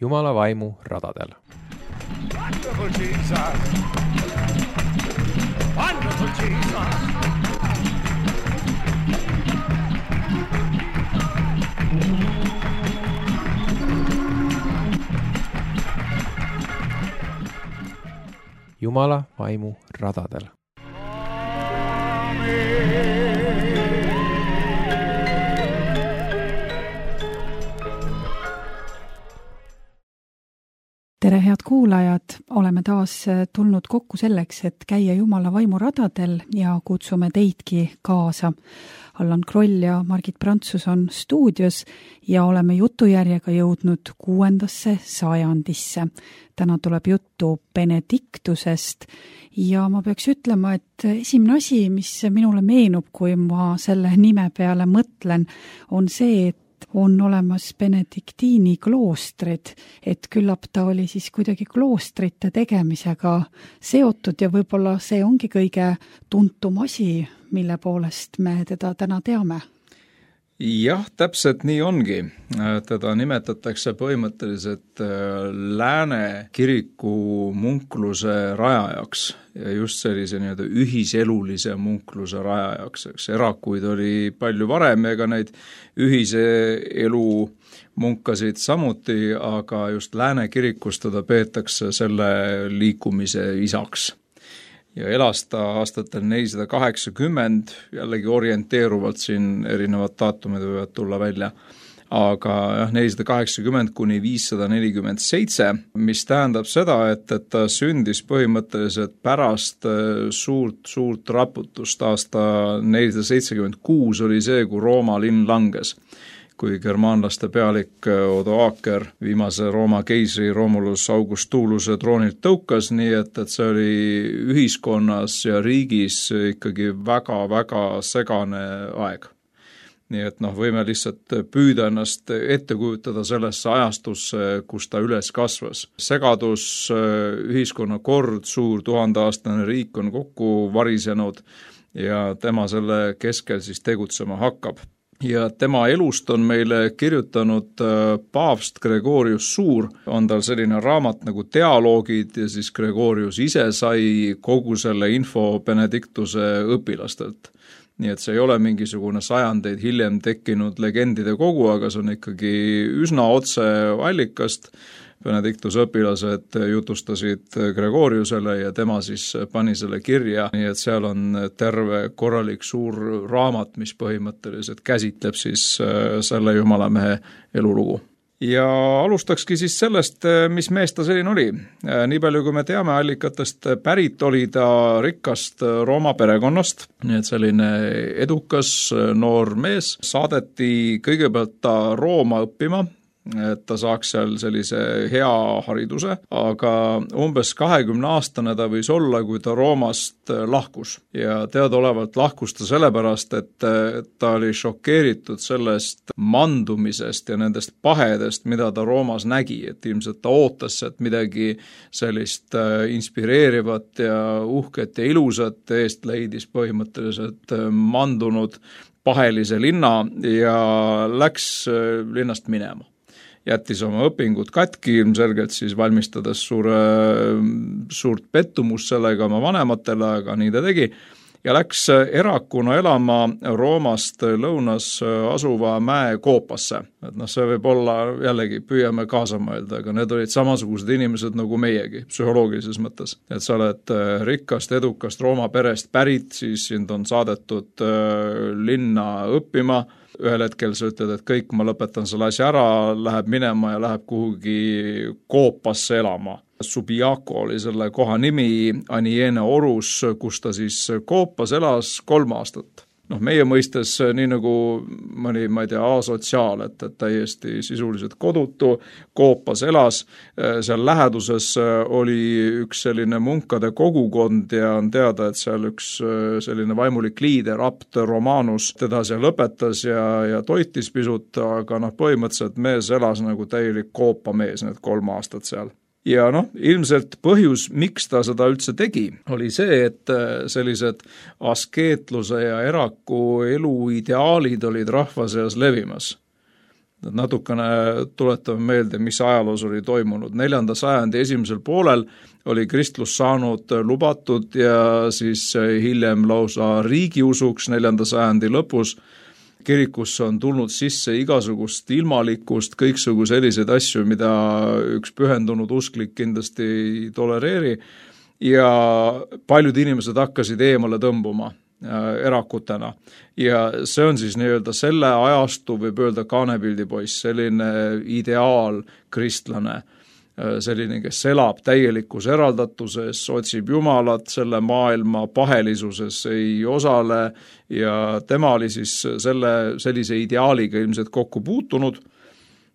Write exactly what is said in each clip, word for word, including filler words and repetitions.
Jumala vaimu radadel. Wonderful Jesus! Wonderful Jesus! Jumala vaimu radadel. Tere, head kuulajad! Oleme taas tulnud kokku selleks, et käia Jumala vaimu radadel ja kutsume teidki kaasa. Allan Kroll ja Margit Prantsus on stuudios ja oleme jutujärjega jõudnud kuuendasse sajandisse. Täna tuleb juttu Benediktusest ja ma peaks ütlema, et esimene asi, mis minule meenub, kui ma selle nime peale mõtlen, on see, et on olemas Benediktiini kloostrid, et küllap ta oli siis kuidagi kloostrite tegemisega seotud ja võib-olla see ongi kõige tuntum asi, mille poolest me teda täna teame. Jah, täpselt nii ongi. Teda nimetatakse põhimõtteliselt lääne kiriku munkluse rajajaks ja just sellise nii-öelda ühiselulise munkluse rajajaks. Eks erakuid oli palju varem, ega neid ühise elu munkasid samuti, aga just lääne kirikus teda peetakse selle liikumise isaks. Ja elas ta aastatel nelisada kaheksakümmend, jällegi orienteeruvalt siin erinevad daatumid võivad tulla välja, aga jah, nelisada kaheksakümmend kuni viissada nelikümmend seitse, mis tähendab seda, et, et ta sündis põhimõtteliselt pärast suurt, suurt raputust. Aasta nelisada seitsekümmend kuus oli see, kui Rooma linn langes, kui germaanlaste pealik Odoaker viimase Rooma keisri Romulus Augustuluse troonilt tõukas, nii et, et see oli ühiskonnas ja riigis ikkagi väga-väga segane aeg. Nii et noh, võime lihtsalt püüda ennast ette kujutada sellesse ajastusse, kus ta üles kasvas. Segadus, ühiskonna kord, suur tuhandeaastane riik on kokku varisenud ja tema selle keskel siis tegutsema hakkab. Ja tema elust on meile kirjutanud paavst Gregorius Suur, on tal selline raamat nagu Dialoogid ja siis Gregorius ise sai kogu selle info Benediktuse õpilastelt. Nii et see ei ole mingisugune sajandeid hiljem tekkinud legendide kogu, aga see on ikkagi üsna otse allikast. Benediktuse õpilased jutustasid Gregoriusele ja tema siis pani selle kirja, nii et seal on terve korralik suur raamat, mis põhimõtteliselt käsitleb siis selle jumalamehe elulugu. Ja alustakski siis sellest, mis mees ta selline oli. Nii palju, kui me teame allikatest, pärit oli ta rikkast Rooma perekonnast, nii et selline edukas noor mees. Saadeti kõigepealt ta Rooma õppima, et ta saaks seal sellise hea hariduse, aga umbes kahekümne aastane ta võis olla, kui ta Roomast lahkus. Ja teadaolevalt lahkus ta sellepärast, et ta oli šokeeritud sellest mandumisest ja nendest pahedest, mida ta Roomas nägi, et ilmselt ta ootas, et midagi sellist inspireerivat ja uhket ja ilusat eest leidis põhimõtteliselt mandunud pahelise linna ja läks linnast minema. Jättis oma õpingud katki, ilmselgelt siis valmistades suure, suurt pettumust sellega oma vanematele, aga nii ta tegi. Ja läks erakuna elama Roomast lõunas asuva mäe Koopasse. Et noh, see võib olla, jällegi püüame kaasa mõelda, aga need olid samasugused inimesed nagu meiegi, psühholoogilises mõttes. Et sa oled rikkast, edukast Rooma perest pärit, siis sind on saadetud linna õppima. Ühel hetkel sa ütled, et kõik, ma lõpetan selle asja ära, läheb minema ja läheb kuhugi Koopasse elama. Subiaco oli selle koha nimi, Aniene Orus, kus ta siis Koopas elas kolm aastat. Noh, meie mõistes nii nagu mõni, ma ei tea, asotsiaal, et, et täiesti sisuliselt kodutu, Koopas elas. Seal läheduses oli üks selline munkade kogukond ja on teada, et seal üks selline vaimulik liider, abt Romanus, teda seal õpetas ja, ja toitis pisut, aga noh, põhimõtteliselt mees elas nagu täielik Koopa mees need kolm aastat seal. Ja noh, ilmselt põhjus, miks ta seda üldse tegi, oli see, et sellised askeetluse ja eraku elu ideaalid olid rahva seas levimas. Natukene tuletame meelde, mis ajaloos oli toimunud. Neljanda sajandi esimesel poolel oli kristlus saanud lubatud ja siis hiljem lausa riigiusuks neljanda sajandi lõpus. Kirikusse on tulnud sisse igasugust ilmalikkust, kõiksugu selliseid asju, mida üks pühendunud usklik kindlasti ei tolereeri ja paljud inimesed hakkasid eemale tõmbuma erakutena. Ja see on siis nii-öelda selle ajastu, võib öelda kaanepildipoiss, selline ideaal kristlane, selline, kes elab täielikus eraldatuses, otsib Jumalat, selle maailma pahelisuses ei osale ja tema oli siis selle, sellise ideaaliga ilmselt kokku puutunud.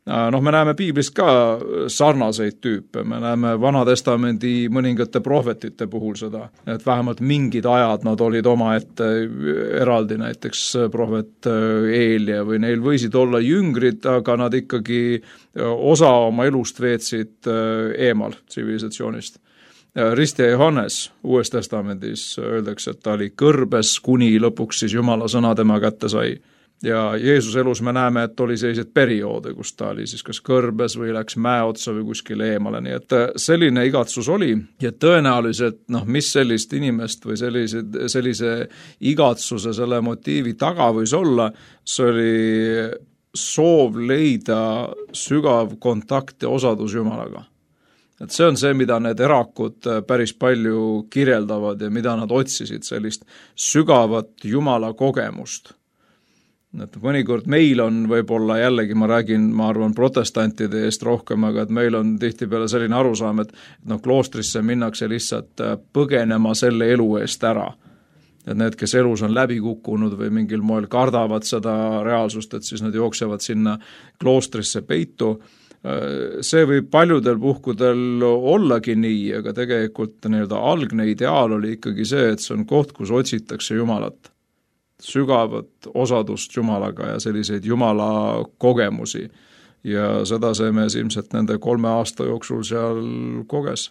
Noh, me näeme piiblist ka sarnaseid tüüpe, me näeme Vanatestamendi mõningate prohvetite puhul seda, et vähemalt mingid ajad nad olid omaette eraldi, näiteks prohvet Eelia või neil võisid olla jüngrid, aga nad ikkagi osa oma elust veetsid eemal tsivilisatsioonist. Ristja Johannes Uues Testamendis öeldakse, et ta oli kõrbes, kuni lõpuks siis Jumala sõna tema kätte sai. Ja Jeesus elus me näeme, et oli sellised perioode, kus ta oli siis kas kõrbes või läks mäe otsa või kuskile eemale, nii et selline igatsus oli ja tõenäoliselt, noh, mis sellist inimest või sellise, sellise igatsuse, selle motiivi taga võis olla, see oli soov leida sügav kontakt ja osadus Jumalaga. Et see on see, mida need erakud päris palju kirjeldavad ja mida nad otsisid, sellist sügavat Jumala kogemust. Et mõnikord meil on võib-olla jällegi, ma räägin, ma arvan, protestantide eest rohkem, aga et meil on tihtipeale selline arusaam, et no, kloostrisse minnakse lihtsalt põgenema selle elu eest ära. Et need, kes elus on läbi kukkunud või mingil moel kardavad seda reaalsust, et siis nad jooksevad sinna kloostrisse peitu. See võib paljudel puhkudel ollagi nii, aga tegelikult nii-öelda algne ideaal oli ikkagi see, et see on koht, kus otsitakse Jumalat. Sügavat osadust Jumalaga ja selliseid Jumala kogemusi ja seda see mees ilmselt nende kolme aasta jooksul seal koges.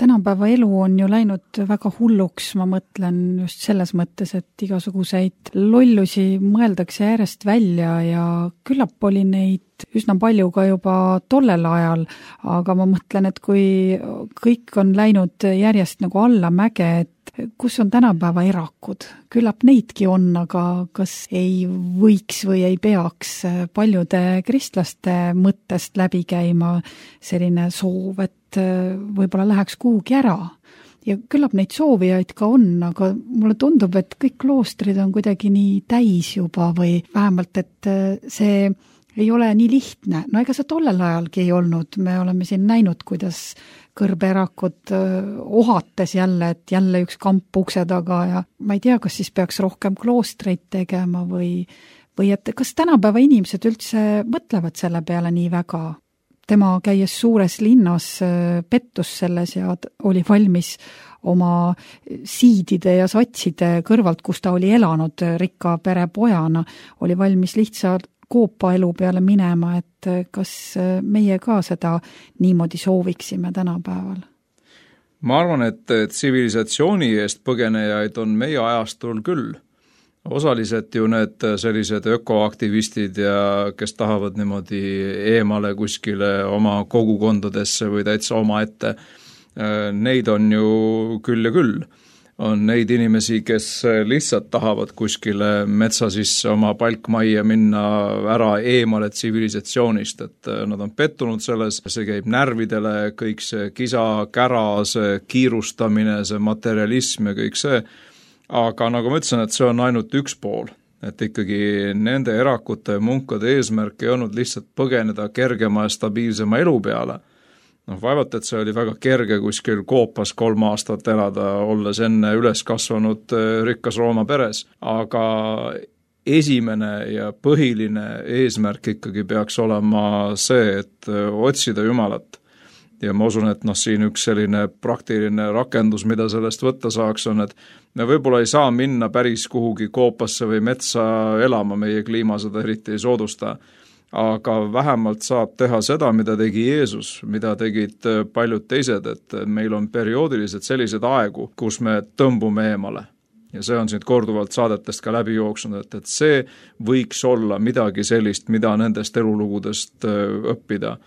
Tänapäeva elu on ju läinud väga hulluks, ma mõtlen just selles mõttes, et igasuguseid lollusi mõeldakse järjest välja ja küllap oli neid üsna palju ka juba tollel ajal, aga ma mõtlen, et kui kõik on läinud järjest nagu alla mäge, et kus on tänapäeva erakud? Küllap neidki on, aga kas ei võiks või ei peaks paljude kristlaste mõttest läbi käima selline soov, et võib-olla läheks kuhugi ära? Ja küllap neid soovijaid ka on, aga mulle tundub, et kõik kloostrid on kuidagi nii täis juba või vähemalt, et see ei ole nii lihtne. No ega see tollel ajalgi ei olnud. Me oleme siin näinud, kuidas kõrbeerakud ohates jälle, et jälle üks kamp ukse taga ja ma ei tea, kas siis peaks rohkem kloostreid tegema või, või et kas tänapäeva inimesed üldse mõtlevad selle peale nii väga. Tema käies suures linnas pettus selles ja oli valmis oma siidide ja satside kõrvalt, kus ta oli elanud rikka pere pojana, oli valmis lihtsalt koopa elu peale minema, et kas meie ka seda niimoodi sooviksime tänapäeval? Ma arvan, et tsivilisatsiooni eest põgenejaid on meie ajastul küll. Osaliselt ju need sellised ökoaktivistid ja kes tahavad niimoodi eemale kuskile oma kogukondadesse või täitsa oma ette, neid on ju küll ja küll. On neid inimesi, kes lihtsalt tahavad kuskile metsa sisse oma palkmajja minna ära eemale tsivilisatsioonist, et nad on pettunud selles, see käib närvidele, kõik see kisa, kära, see kiirustamine, see materialism ja kõik see, aga nagu ma ütlesin, et see on ainult üks pool, et ikkagi nende erakute ja munkade eesmärk ei olnud lihtsalt põgeneda kergema ja stabiilsema elu peale. Noh, vaevalt, et see oli väga kerge kuskil koopas kolm aastat elada, olles enne üles kasvanud rikkas Rooma peres, aga esimene ja põhiline eesmärk ikkagi peaks olema see, et otsida Jumalat. Ja ma usun, et noh, siin üks selline praktiline rakendus, mida sellest võtta saaks, on, et me võib-olla ei saa minna päris kuhugi koopasse või metsa elama, meie kliima seda eriti ei soodusta, aga vähemalt saab teha seda, mida tegi Jeesus, mida tegid paljud teised, et meil on perioodiliselt sellised aegu, kus me tõmbume eemale. ja see on siit korduvalt saadetest ka läbi jooksnud, et, et see võiks olla midagi sellist, mida nendest elulugudest õppida.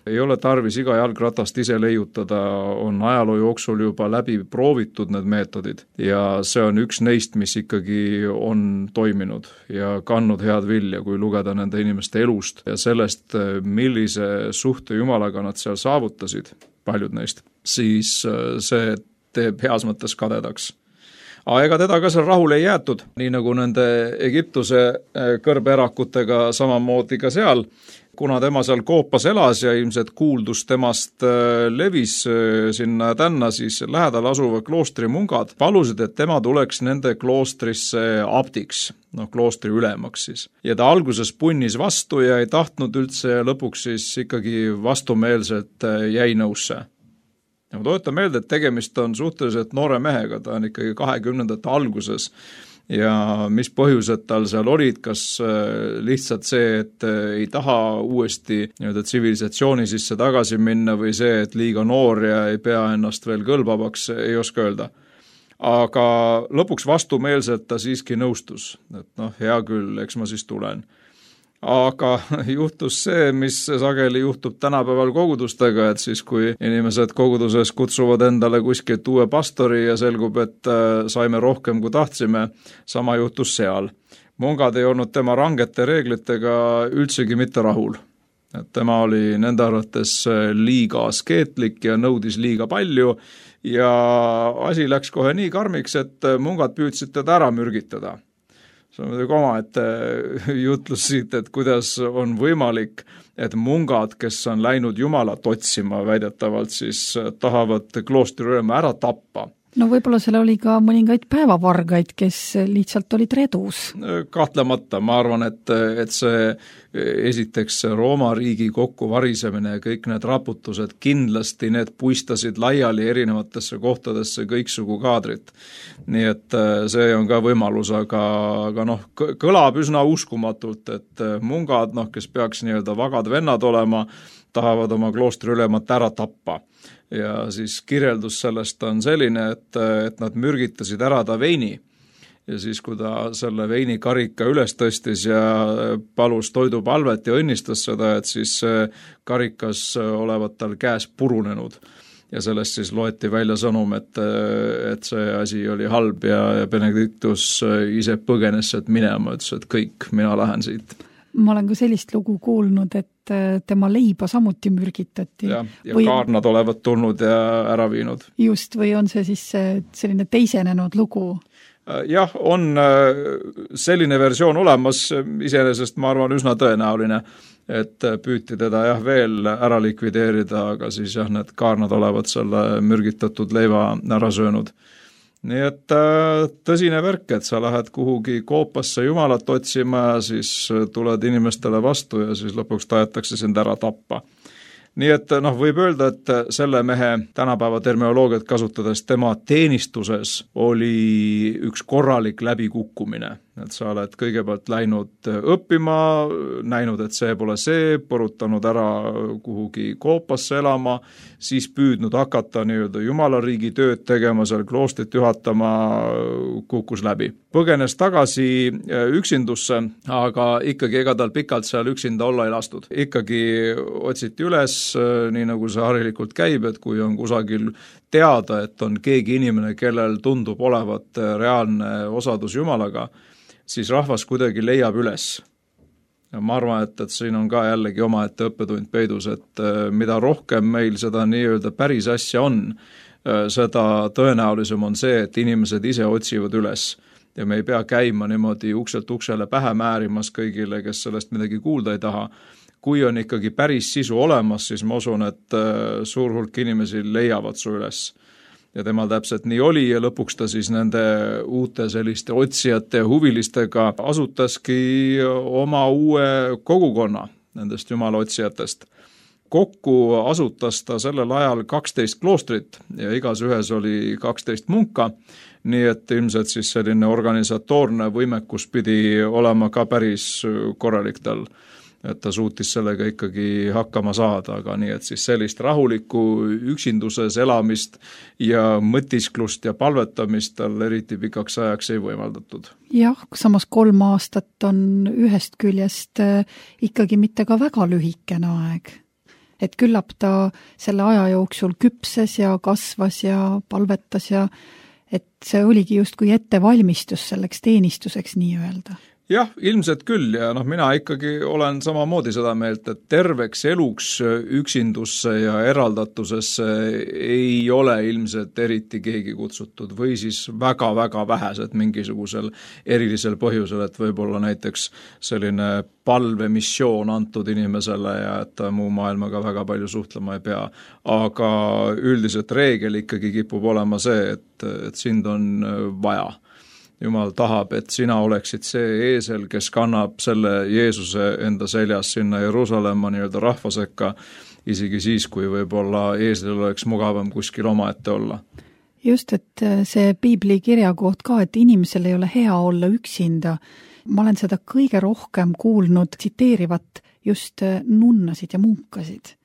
Ei ole tarvis iga jalgratast ise leiutada, on ajaloo jooksul juba läbi proovitud need meetodid ja see on üks neist, mis ikkagi on toiminud ja kandnud head vilja, kui lugeda nende inimeste elust ja sellest, millise suhte Jumalaga nad seal saavutasid, paljud neist, siis see teeb heas mõttes kadedaks. Aga ega teda ka seal rahule ei jäetud, nii nagu nende Egiptuse kõrbeerakutega samamoodi ka seal, kuna tema seal Koopas elas ja ilmselt kuuldus temast levis sinna tänna, siis lähedal asuva kloostri mungad palusid, et tema tuleks nende kloostrisse abdiks, noh kloostri ülemaks siis. Ja ta alguses punnis vastu ja ei tahtnud üldse ja lõpuks siis ikkagi vastumeelselt jäi nõusse. Ja ma toetan meelde, et tegemist on suhteliselt noore mehega, ta on ikkagi kahekümnendate alguses ja mis põhjused tal seal olid, kas lihtsalt see, et ei taha uuesti nii-öelda tsivilisatsiooni sisse tagasi minna või see, et liiga noor ja ei pea ennast veel kõlbavaks, ei oska öelda. Aga lõpuks vastumeelselt ta siiski nõustus, et noh, hea küll, eks ma siis tulen. Aga juhtus see, mis sageli juhtub tänapäeval kogudustega, et siis kui inimesed koguduses kutsuvad endale kuskilt uue pastori ja selgub, et saime rohkem kui tahtsime, sama juhtus seal. Mungad ei olnud tema rangete reeglitega üldsegi mitte rahul. Et tema oli nende arvates liiga askeetlik ja nõudis liiga palju ja asi läks kohe nii karmiks, et mungad püüdsid teda ära mürgitada. See on muidugi oma, et jutlus siit, et kuidas on võimalik, et mungad, kes on läinud Jumalat otsima väidetavalt, siis tahavad kloostri ülema ära tappa. No võib-olla seal oli ka mõningaid päevavargaid, kes lihtsalt olid redus. Kahtlemata, ma arvan, et, et see esiteks Rooma riigi kokkuvarisemine ja kõik need raputused, kindlasti need puistasid laiali erinevatesse kohtadesse kõiksugu kaadrit. Nii et see on ka võimalus, aga, aga noh, kõlab üsna uskumatult, et mungad, noh, kes peaks nii-öelda vagad vennad olema, tahavad oma kloostri ülemat ära tappa. Ja siis kirjeldus sellest on selline, et, et nad mürgitasid ära ta veini ja siis, kui ta selle veini karika üles tõstis ja palus toidupalvet ja õnnistas seda, et siis karikas olevat tal käes purunenud ja sellest siis loeti välja sõnum, et, et see asi oli halb ja, ja Benedictus ise põgenes sealt minema, ütles, et kõik, mina lähen siit. Ma olen ka sellist lugu kuulnud, et tema leiba samuti mürgitati. Ja, ja või... kaarnad olevat tulnud ja ära viinud. Just, või on see siis selline teisenenud lugu? Jah, on selline versioon olemas, iseenesest ma arvan üsna tõenäoline, et püüti teda jah veel ära likvideerida, aga siis jah, need kaarnad olevat selle mürgitatud leiva ära söönud. Nii et tõsine värk, et sa lähed kuhugi Koopasse Jumalat otsima ja siis tuled inimestele vastu ja siis lõpuks tahetakse sind ära tappa. Nii et noh, võib öelda, et selle mehe tänapäeva terminoloogiat kasutades tema teenistuses oli üks korralik läbikukkumine. Et sa oled kõigepealt läinud õppima, näinud, et see pole see, põrutanud ära kuhugi Koopasse elama, siis püüdnud hakata nii-öelda Jumalariigi tööd tegema, seal kloostrit juhatama, kukkus läbi. Põgenes tagasi üksindusse, aga ikkagi ega tal pikalt seal üksinda olla ei lastud. Ikkagi otsiti üles, nii nagu see harilikult käib, et kui on kusagil teada, et on keegi inimene, kellel tundub olevat reaalne osadus Jumalaga, siis rahvas kuidagi leiab üles. Ja ma arvan, et, et siin on ka jällegi omaette õppetund peidus, et mida rohkem meil seda nii-öelda päris asja on, seda tõenäolisem on see, et inimesed ise otsivad üles. Ja me ei pea käima niimoodi ukselt uksele pähe määrimas kõigile, kes sellest midagi kuulda ei taha. Kui on ikkagi päris sisu olemas, siis ma usun, et suur hulk inimesi leiavad su üles. Ja temal täpselt nii oli ja lõpuks ta siis nende uute selliste otsijate ja huvilistega asutaski oma uue kogukonna nendest jumala otsijatest. Kokku asutas ta sellel ajal kaksteist kloostrit ja igas ühes oli kaksteist munka, nii et ilmselt siis selline organisatoorne võimekus pidi olema ka päris korralik tal. et ta suutis sellega ikkagi hakkama saada, aga nii, et siis sellist rahulikku üksinduses elamist ja mõtisklust ja palvetamist tal eriti pikaks ajaks ei võimaldatud. Jah, samas kolm aastat on ühest küljest ikkagi mitte ka väga lühikene aeg. Et küllap ta selle aja jooksul küpses ja kasvas ja palvetas ja et see oligi justkui ettevalmistus selleks teenistuseks nii öelda. Jah, ilmselt küll ja noh, mina ikkagi olen samamoodi seda meelt, et terveks eluks üksindusse ja eraldatusesse ei ole ilmselt eriti keegi kutsutud või siis väga-väga vähesed mingisugusel erilisel põhjusel, et võib-olla näiteks selline palvemissioon antud inimesele ja et ta muu maailmaga väga palju suhtlema ei pea. Aga üldiselt reegel ikkagi kipub olema see, et, et sind on vaja. Jumal tahab, et sina oleksid see eesel, kes kannab selle Jeesuse enda seljas sinna Jeruusalemma nii-öelda rahva sekka, isegi siis, kui võib-olla eeslil oleks mugavam kuskil omaette olla. Just, et see piibli kirjakoht ka, et inimesel ei ole hea olla üksinda. Ma olen seda kõige rohkem kuulnud tsiteerivat just nunnasid ja munkasid.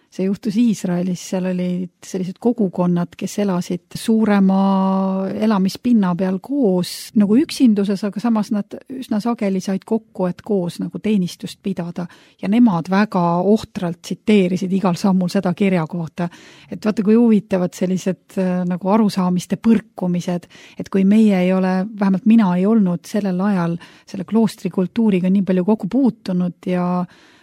See juhtus Iisraelis, seal olid sellised kogukonnad, kes elasid suurema elamispinna peal koos nagu üksinduses, aga samas nad üsna sageli said kokku, et koos nagu teenistust pidada ja nemad väga ohtralt tsiteerisid igal sammul seda kirja kohta. Et vaata, kui huvitavad sellised nagu arusaamiste põrkumised, et kui meie ei ole, vähemalt mina ei olnud sellel ajal selle kloostrikultuuriga nii palju kokku puutunud ja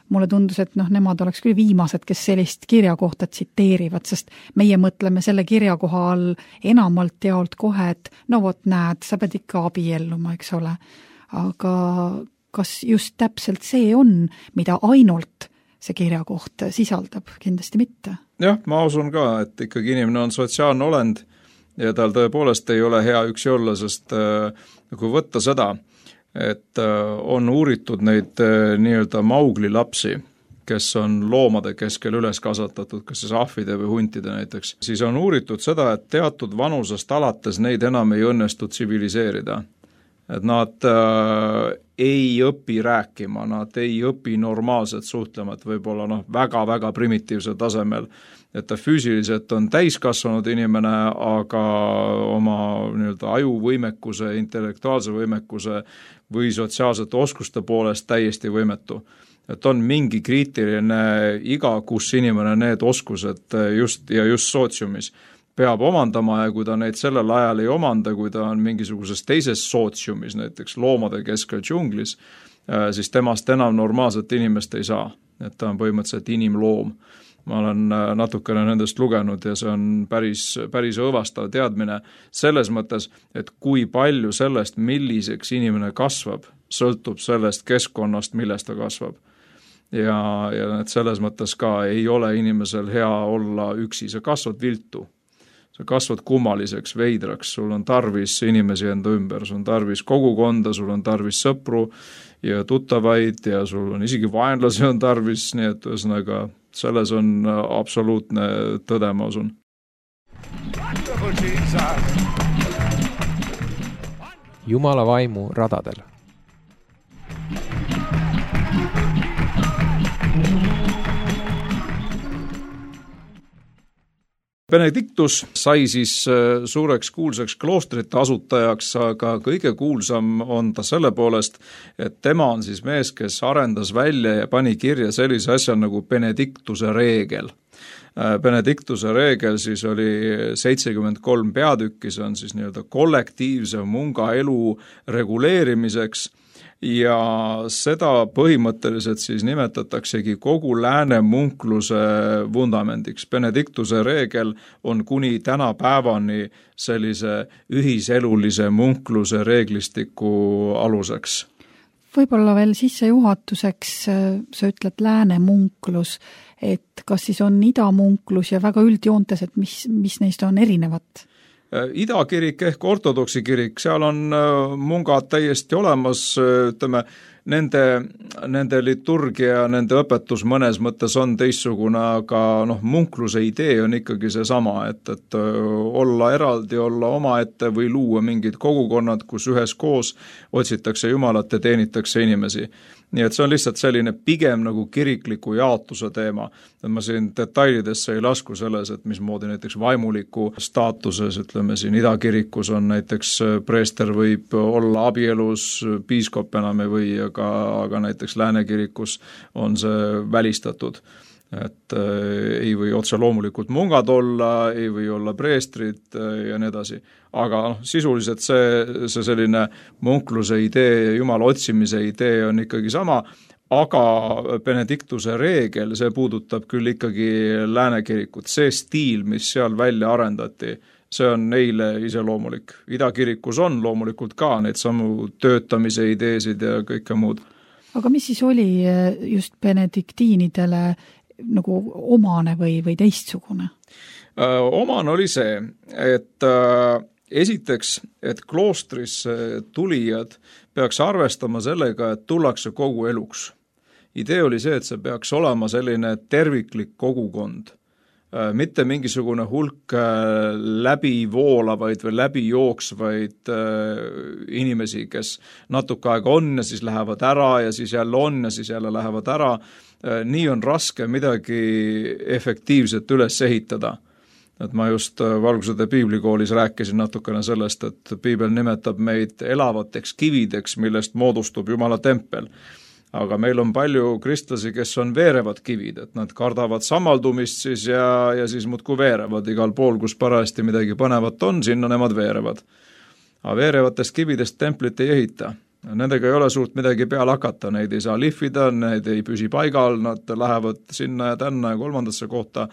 mulle tundus, et noh, nemad oleks küll viimased, kes sellist kirja kohta tsiteerivad, sest meie mõtleme selle kirjakoha all enamalt jaolt kohe, et no vot näed, sa pead ikka abielluma, eks ole. Aga kas just täpselt see on, mida ainult see kirjakoht sisaldab? Kindlasti mitte. Jah, ma usun ka, et ikkagi inimene on sotsiaalne olend ja tal tõepoolest ei ole hea üksi olla, sest äh, kui võtta seda, et on uuritud neid nii-öelda Maugli lapsi, kes on loomade keskel üles kasvatatud, kas siis ahvide või huntide näiteks, siis on uuritud seda, et teatud vanusest alates neid enam ei õnnestu tsiviliseerida. Et nad äh, ei õpi rääkima, nad ei õpi normaalselt suhtlema, et võib-olla noh, väga-väga primitiivsel tasemel, et ta füüsiliselt on täiskasvanud inimene, aga oma nii-öelda ajuvõimekuse, intellektuaalse võimekuse või sotsiaalsete oskuste poolest täiesti võimetu. Et on mingi kriitiline iga, kus inimene need oskused just ja just sootsiumis peab omandama ja kui ta neid sellel ajal ei omanda, kui ta on mingisuguses teises sootsiumis, näiteks loomade keskel džunglis, siis temast enam normaalset inimest ei saa. Et ta on põhimõtteliselt inimloom. Ma olen natukene nendest lugenud ja see on päris, päris õõvastav teadmine selles mõttes, et kui palju sellest, milliseks inimene kasvab, sõltub sellest keskkonnast, millest ta kasvab. Ja, ja et selles mõttes ka ei ole inimesel hea olla üksi, sa kasvad viltu. Sa kasvad kummaliseks, veidraks, sul on tarvis inimesi enda ümber, sul on tarvis kogukonda, sul on tarvis sõpru ja tuttavaid ja sul on isegi vaenlasi on tarvis, nii et ühesõnaga selles on absoluutne tõde, ma usun. Jumala vaimu radadel. Benedictus sai siis suureks kuulsaks kloostrite asutajaks, aga kõige kuulsam on ta selle poolest, et tema on siis mees, kes arendas välja ja pani kirja sellise asja nagu Benedictuse reegel. Benedictuse reegel siis oli seitsekümmend kolm peatükki, see on siis nii-öelda kollektiivse munga elu reguleerimiseks ja seda põhimõtteliselt siis nimetataksegi kogu lääne munkluse vundamendiks. Benedictuse reegel on kuni tänapäevani sellise ühiselulise munkluse reeglistiku aluseks. Võib-olla veel sissejuhatuseks, sa ütled lääne munklus, et kas siis on idamunklus ja väga üldjoontes, et mis, mis neist on erinevat? Idakirik ehk ortodoksi kirik, seal on mungad täiesti olemas, ütleme, nende, nende liturgia, nende õpetus mõnes mõttes on teistsugune, aga noh, munkluse idee on ikkagi seesama, et, et olla eraldi, olla omaette või luua mingid kogukonnad, kus üheskoos otsitakse Jumalat ja teenitakse inimesi. nii et see on lihtsalt selline pigem nagu kirikliku jaotuse teema. Et ma siin detailidesse ei lasku selles, et mismoodi näiteks vaimuliku staatuses, ütleme siin idakirikus on näiteks preester võib olla abielus, piiskop enam ei või, aga, aga näiteks läänekirikus on see välistatud. Et äh, ei või otse loomulikult mungad olla, ei või olla preestrid äh, ja nii edasi. Aga noh, sisuliselt see, see selline munkluse idee ja jumala otsimise idee on ikkagi sama, aga Benediktuse reegel, see puudutab küll ikkagi läänekirikut. See stiil, mis seal välja arendati, see on neile iseloomulik. Idakirikus on loomulikult ka neid samu töötamise ideesid ja kõike muud. Aga mis siis oli just benediktiinidele nagu omane või, või teistsugune? Omane oli see, et äh, esiteks, et kloostrisse tulijad peaks arvestama sellega, et tullakse kogu eluks. Idee oli see, et see peaks olema selline terviklik kogukond. Äh, mitte mingisugune hulk äh, läbi voolavaid või läbi jooksvaid äh, inimesi, kes natuke aega on ja siis lähevad ära ja siis jälle on ja siis jälle lähevad ära. Nii on raske midagi efektiivset üles ehitada. Et ma just Valgusõde piiblikoolis rääkisin natukene sellest, et piibel nimetab meid elavateks kivideks, millest moodustub Jumala tempel. Aga meil on palju kristlasi, kes on veerevad kivid, et nad kardavad samaldumist siis ja, ja siis muudkui veerevad igal pool, kus parajasti midagi põnevat on, sinna nemad veerevad. Aga veerevatest kividest templit ei ehita. Nendega ei ole suurt midagi peale hakata, neid ei saa lihvida, neid ei püsi paigal, nad lähevad sinna ja tänna ja kolmandasse kohta.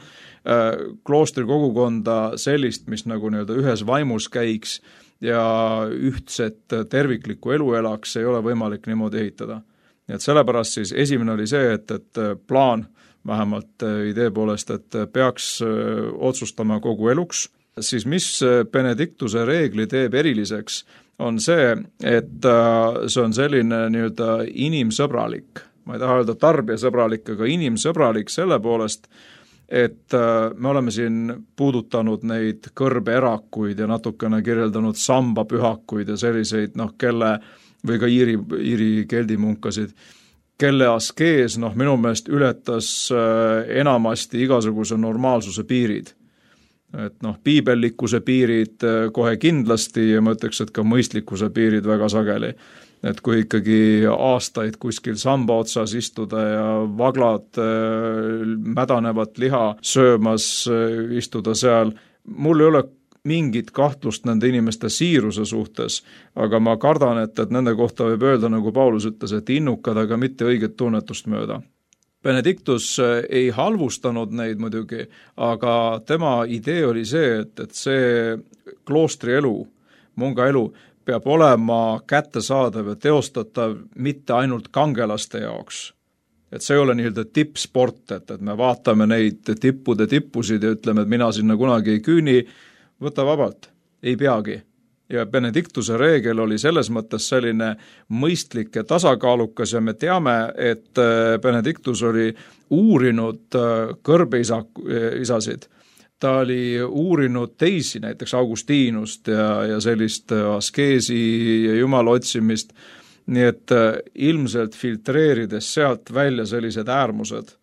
Kloostri kogukonda sellist, mis nagu nii-öelda ühes vaimus käiks ja ühtset terviklikku elu elaks, ei ole võimalik niimoodi ehitada. Nii et sellepärast siis esimene oli see, et, et plaan, vähemalt idee poolest, et peaks otsustama kogu eluks, siis mis Benediktuse reegli teeb eriliseks, on see, et see on selline nii-öelda inimsõbralik, ma ei taha öelda tarbijasõbralik, aga inimsõbralik selle poolest, et me oleme siin puudutanud neid kõrbeerakuid ja natukene kirjeldanud sambapühakuid ja selliseid, noh, kelle, või ka Iiri, Iiri keldimunkasid, kelle askees, noh, minu meelest ületas enamasti igasuguse normaalsuse piirid. Et noh, piibellikkuse piirid kohe kindlasti ja ma ütleks, et ka mõistlikkuse piirid väga sageli. Et kui ikkagi aastaid kuskil samba otsas istuda ja vaglad mädanevat liha söömas istuda seal, mul ei ole mingit kahtlust nende inimeste siiruse suhtes, aga ma kardan, et, et nende kohta võib öelda, nagu Paulus ütles, et innukad, aga mitte õiget tunnetust mööda. Benediktus ei halvustanud neid muidugi, aga tema idee oli see, et, et see kloostri elu, munga elu, peab olema kättesaadav ja teostatav mitte ainult kangelaste jaoks. Et see ei ole nii-öelda tippsport, et, et me vaatame neid tippude tippusid ja ütleme, et mina sinna kunagi ei küüni, võta vabalt, ei peagi. Ja Benediktuse reegel oli selles mõttes selline mõistlik ja tasakaalukas ja me teame, et Benediktus oli uurinud kõrbeisasid. Ta oli uurinud teisi, näiteks Augustiinust ja, ja sellist askeesi ja jumala otsimist, nii et ilmselt filtreerides sealt välja sellised äärmused,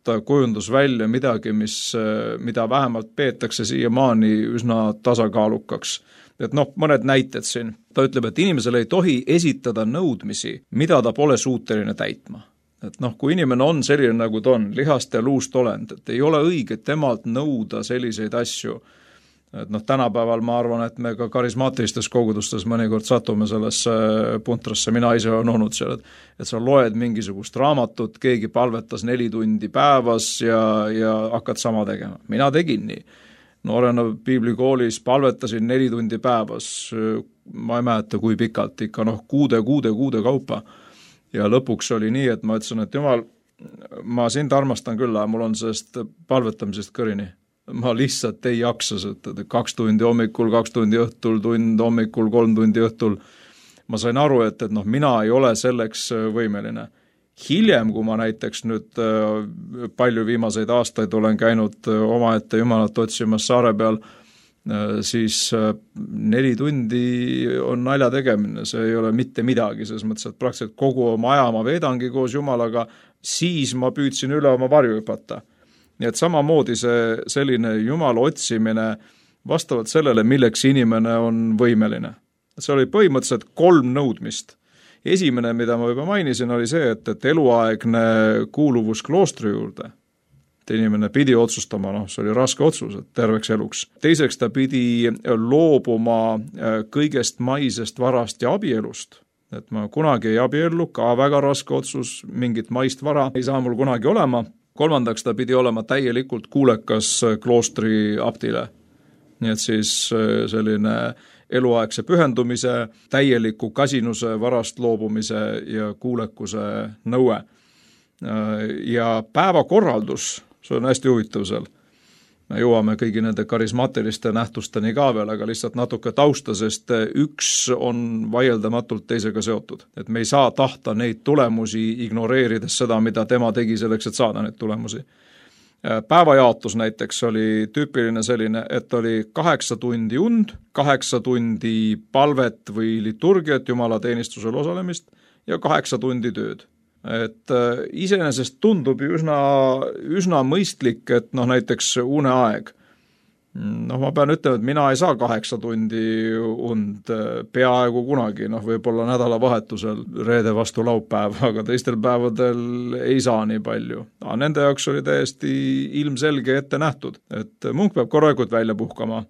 ta kujundus välja midagi, mis, mida vähemalt peetakse siiamaani üsna tasakaalukaks. Et noh, mõned näited siin. Ta ütleb, et inimesele ei tohi esitada nõudmisi, mida ta pole suuteline täitma. Et noh, kui inimene on selline, nagu ta on, lihast ja luust olend, et ei ole õige temalt nõuda selliseid asju. Et noh, tänapäeval ma arvan, et me ka karismaatilistes kogudustes mõnikord satume sellesse puntrasse, mina ise olen olnud seal, et, et sa loed mingisugust raamatut, keegi palvetas neli tundi päevas ja, ja hakkad sama tegema. Mina tegin nii. Noorena piiblikoolis palvetasin neli tundi päevas, ma ei mäleta kui pikalt, ikka noh, kuude, kuude, kuude kaupa. Ja lõpuks oli nii, et ma ütlesin, et jumal, ma sind armastan küll, aga mul on sellest palvetamisest kõrini. Ma lihtsalt ei jaksa, et kaks tundi hommikul, kaks tundi õhtul, tund hommikul, kolm tundi õhtul. Ma sain aru, et, et noh, mina ei ole selleks võimeline. Hiljem, kui ma näiteks nüüd palju viimaseid aastaid olen käinud omaette jumalat otsimas saare peal, siis neli tundi on nalja tegemine, see ei ole mitte midagi, selles mõttes, et praktiliselt kogu oma aja ma veedangi koos Jumalaga, siis ma püüdsin üle oma varju hüpata. Nii et samamoodi see selline Jumala otsimine vastavalt sellele, milleks inimene on võimeline. See oli põhimõtteliselt kolm nõudmist. Esimene, mida ma juba mainisin, oli see, et, et eluaegne kuuluvus kloostri juurde. Et inimene pidi otsustama, noh, see oli raske otsus, et terveks eluks. Teiseks ta pidi loobuma kõigest maisest varast ja abielust. Et ma kunagi ei abiellu, ka väga raske otsus, mingit maist vara ei saa mul kunagi olema. Kolmandaks ta pidi olema täielikult kuulekas kloostri abdile. Nii et siis selline eluaegse pühendumise, täieliku kasinuse, varast loobumise ja kuulekuse nõue. Ja päevakorraldus, see on hästi huvitav seal. Me jõuame kõigi nende karismaatiliste nähtusteni ka veel, aga lihtsalt natuke tausta, sest üks on vaieldamatult teisega seotud. Et me ei saa tahta neid tulemusi ignoreerides seda, mida tema tegi selleks, et saada neid tulemusi. Päevajaotus näiteks oli tüüpiline selline, et oli kaheksa tundi und, kaheksa tundi palvet või liturgiat, Jumala teenistusel osalemist ja kaheksa tundi tööd. Et iseenesest tundub üsna, üsna mõistlik, et noh, näiteks une aeg. Noh, ma pean ütlema, et mina ei saa kaheksa tundi und peaaegu kunagi, noh, võib-olla nädalavahetusel reede vastu laupäev, aga teistel päevadel ei saa nii palju. Aga nende jaoks oli täiesti ilmselge ette nähtud, et munk peab korralikult välja puhkama.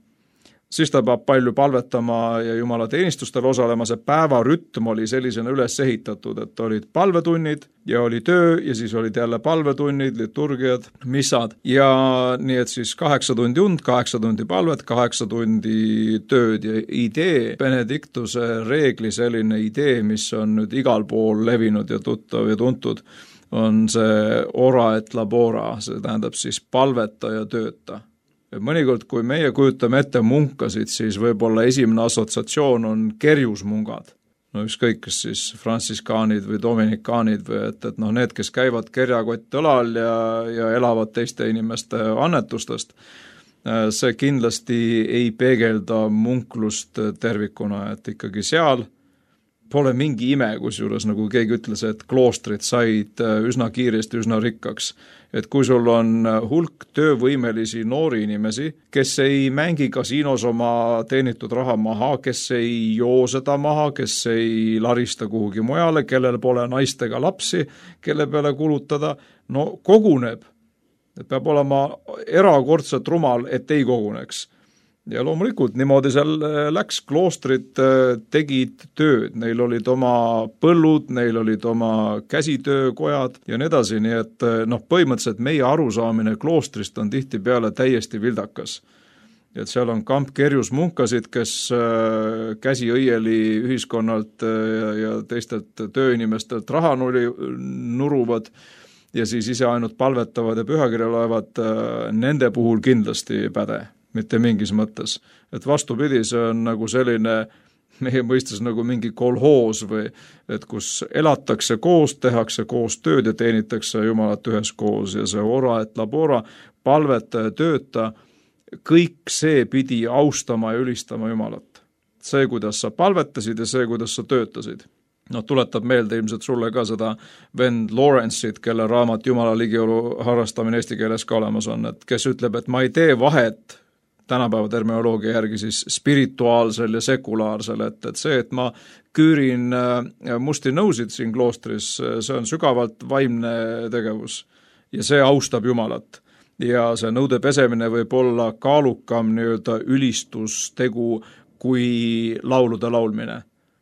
Siis ta peab palju palvetama ja Jumala teenistustel osalema, see päevarütm oli sellisena üles ehitatud, et olid palvetunnid ja oli töö ja siis olid jälle palvetunnid, liturgiad, missad ja nii, et siis kaheksa tundi und, kaheksa tundi palvet, kaheksa tundi tööd ja idee, Benediktuse reegli selline idee, mis on nüüd igal pool levinud ja tuttav ja tuntud, on see ora et labora, see tähendab siis palveta ja tööta. Mõnikord, kui meie kujutame ette munkasid, siis võib-olla esimene assotsiatsioon on kerjusmungad. No ükskõik, kas siis frantsiskaanid või dominikaanid või et, et noh, need, kes käivad kerjakott õlal ja, ja elavad teiste inimeste annetustest, see kindlasti ei peegelda munklust tervikuna, et ikkagi seal pole mingi ime, kusjuures nagu keegi ütles, et kloostrid said üsna kiiresti, üsna rikkaks. Et kui sul on hulk töövõimelisi noori inimesi, kes ei mängi kasiinos oma teenitud raha maha, kes ei joo seda maha, kes ei larista kuhugi mujale, kellel pole naistega lapsi, kelle peale kulutada, no koguneb. Et peab olema erakordselt rumal, et ei koguneks. Ja loomulikult niimoodi seal läks, kloostrid tegid tööd, neil olid oma põllud, neil olid oma käsitöökojad ja nii edasi, nii et noh, põhimõtteliselt meie arusaamine kloostrist on tihti peale täiesti vildakas. Et seal on kamp kerjusmunkasid, kes käsi õieli ühiskonnalt ja teistelt tööinimestelt raha nuruvad ja siis ise ainult palvetavad ja pühakirja loevad, nende puhul kindlasti päde. Mitte mingis mõttes. Et vastupidi, see on nagu selline, meie mõistes nagu mingi kolhoos või et kus elatakse koos, tehakse koos tööd ja teenitakse Jumalat ühes koos ja see ora et labora, palveta ja tööta, kõik see pidi austama ja ülistama Jumalat. See, kuidas sa palvetasid ja see, kuidas sa töötasid. No tuletab meelde ilmselt sulle ka seda vend Lawrence'it, kelle raamat Jumala ligiolu harrastamine eesti keeles ka olemas on, et kes ütleb, et ma ei tee vahet tänapäeva terminoloogia järgi siis spirituaalsel ja sekulaarsel, et, et see, et ma küürin musti nõusid siin kloostris, see on sügavalt vaimne tegevus ja see austab Jumalat. Ja see nõude pesemine võib olla kaalukam nii-öelda ülistustegu kui laulude laulmine.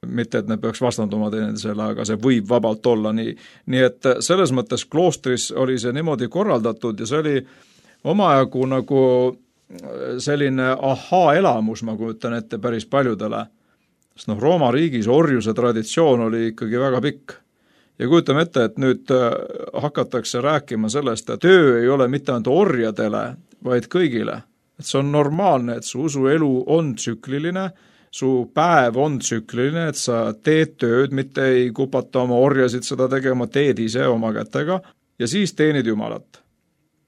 Mitte, et ne peaks vastanduma teineteisele, aga see võib vabalt olla nii. Nii et selles mõttes kloostris oli see niimoodi korraldatud ja see oli omajagu nagu selline ahaa-elamus, ma kujutan ette päris paljudele. Sest noh, Rooma riigis orjuse traditsioon oli ikkagi väga pikk. Ja kujutame ette, et nüüd hakatakse rääkima sellest, et töö ei ole mitte ainult orjadele, vaid kõigile. Et see on normaalne, et su usuelu on tsükliline, su päev on tsükliline, et sa teed tööd, mitte ei kupata oma orjasid seda tegema, teed ise oma kätega ja siis teenid Jumalat.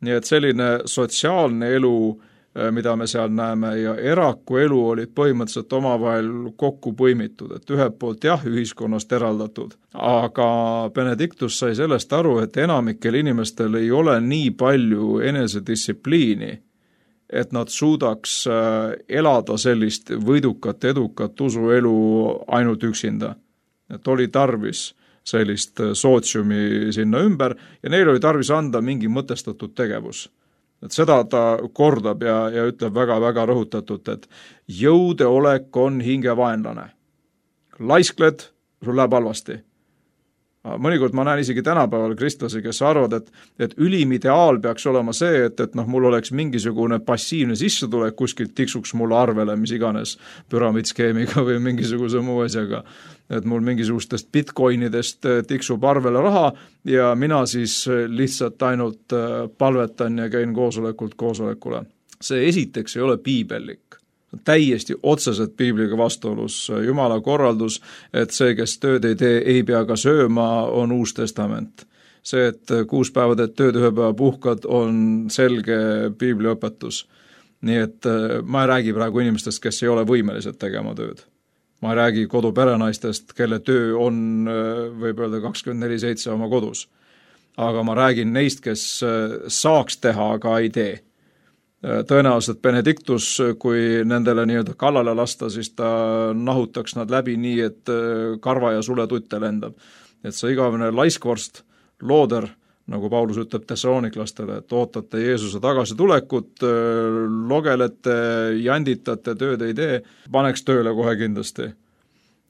Nii et selline sotsiaalne elu mida me seal näeme, ja eraku elu olid põhimõtteliselt omavahel kokku põimitud, et ühelt poolt jah, ühiskonnast eraldatud, aga Benedictus sai sellest aru, et enamikel inimestel ei ole nii palju enesedistsipliini, et nad suudaks elada sellist võidukat, edukat usuelu ainult üksinda. Et oli tarvis sellist sootsiumi sinna ümber ja neil oli tarvis anda mingi mõtestatud tegevus. Et seda ta kordab ja, ja ütleb väga-väga rõhutatult, et jõudeolek on hingevaenlane. Laiskled, sul läheb halvasti. Mõnikord ma näen isegi tänapäeval kristlasi, kes arvad, et, et ülim ideaal peaks olema see, et, et noh, mul oleks mingisugune passiivne sissetulek, kuskilt tiksuks mulle arvele, mis iganes püramiidskeemiga või mingisuguse muu asjaga. Et mul mingisugustest bitcoinidest tiksub arvele raha ja mina siis lihtsalt ainult palvetan ja käin koosolekult koosolekule. See esiteks ei ole piibellik. Täiesti otseselt piibliga vastuolus. Jumala korraldus, et see, kes tööd ei tee, ei pea ka sööma, on Uus Testament. See, et kuus päeva teed tööd, ühe päeva puhkad, on selge piibliõpetus. Nii et ma ei räägi praegu inimestest, kes ei ole võimelised tegema tööd. Ma ei räägi koduperenaistest, kelle töö on, võib öelda, kakskümmend neli seitse oma kodus. Aga ma räägin neist, kes saaks teha, aga ei tee. Tõenäoliselt Benedictus, kui nendele nii-öelda kallale lasta, siis ta nahutaks nad läbi nii, et karva ja suletutte lendab. Et see igavene laiskvorst, looder, nagu Paulus ütleb tessaloniklastele, et ootate Jeesuse tagasitulekut, logelete, janditate, tööd ei tee, paneks tööle kohe kindlasti.